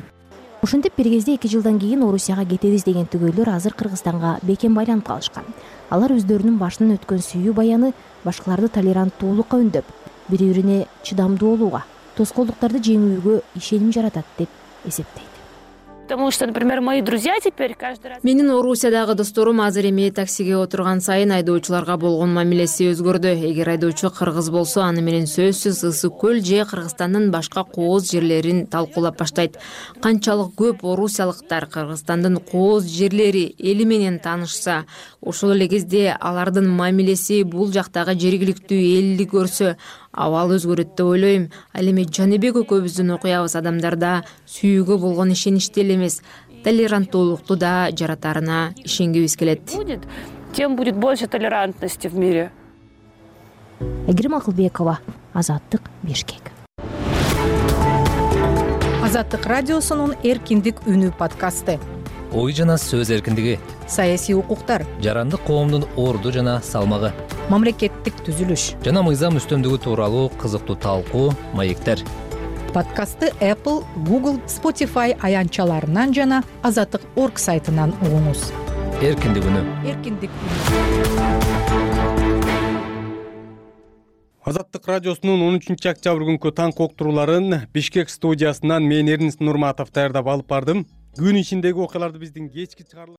Ошентип бир кезде 2 жылдан кийин Орусияга кетебиз деген түгөйлөр азыр Кыргызстанга бекем байланып калышкан. Алар өздөрүнүн башынан өткөн сүйүү баяны башкаларды толеранттуулукка үндөп, бири-бирине чыдамдуу болууга, тоскоолдуктарды жеңүүгө ишеним жаратат деп эсептейт. Потому что, например, мои друзья теперь каждый раз... Менин Орусиядагы досторум азыр эми таксиге отурган сайын айдоочуларга болгон мамилеси өзгөрдү. Эгер айдоочу кыргыз болсо, аны менен сөзсүз Ысык көл же Кыргызстандын башка кооз жерлерин талкуулап баштайт. Канчалык көп орусиялыктар Кыргызстандын кооз жерлери эли менен таанышса, ошол эле кезде алардын мамилеси бул жактагы жергиликтүү элди көрсө, абал өзгөрөт деп ойлойм. Ал эми Жаныбек экөөбүздүн окуябыз адамдарда сүйүүгө болгон ишеничти эле эмес, толеранттуулукту да жаратарына ишенгибиз келет. Тем будет больше толерантности в мире. Айгерим Акылбекова, Азаттык, Бишкек. Азаттык радиосунун Эркиндик үнү подкасты. Ой жана сөз эркиндиги, Саясий укуктар, жарандык коомдун орду жана салмагы, мамлекеттик түзүлүш жана мыйзам үстөмдүгү тууралуу кызыктуу талкуу, маектер. Подкастты Apple, Google, Spotify аянтчаларынан жана Азаттык.org сайтынан угуңуз. Эркиндик үнү. Эркиндик үнү. Азаттык радиосунун 13 октябрь күнкү таңкы уктурууларын Бишкек студиясынан мен Эрнис Нурматов даярдап алып бардым. Күн ичиндеги окуяларды биздин кечки чыгарылыш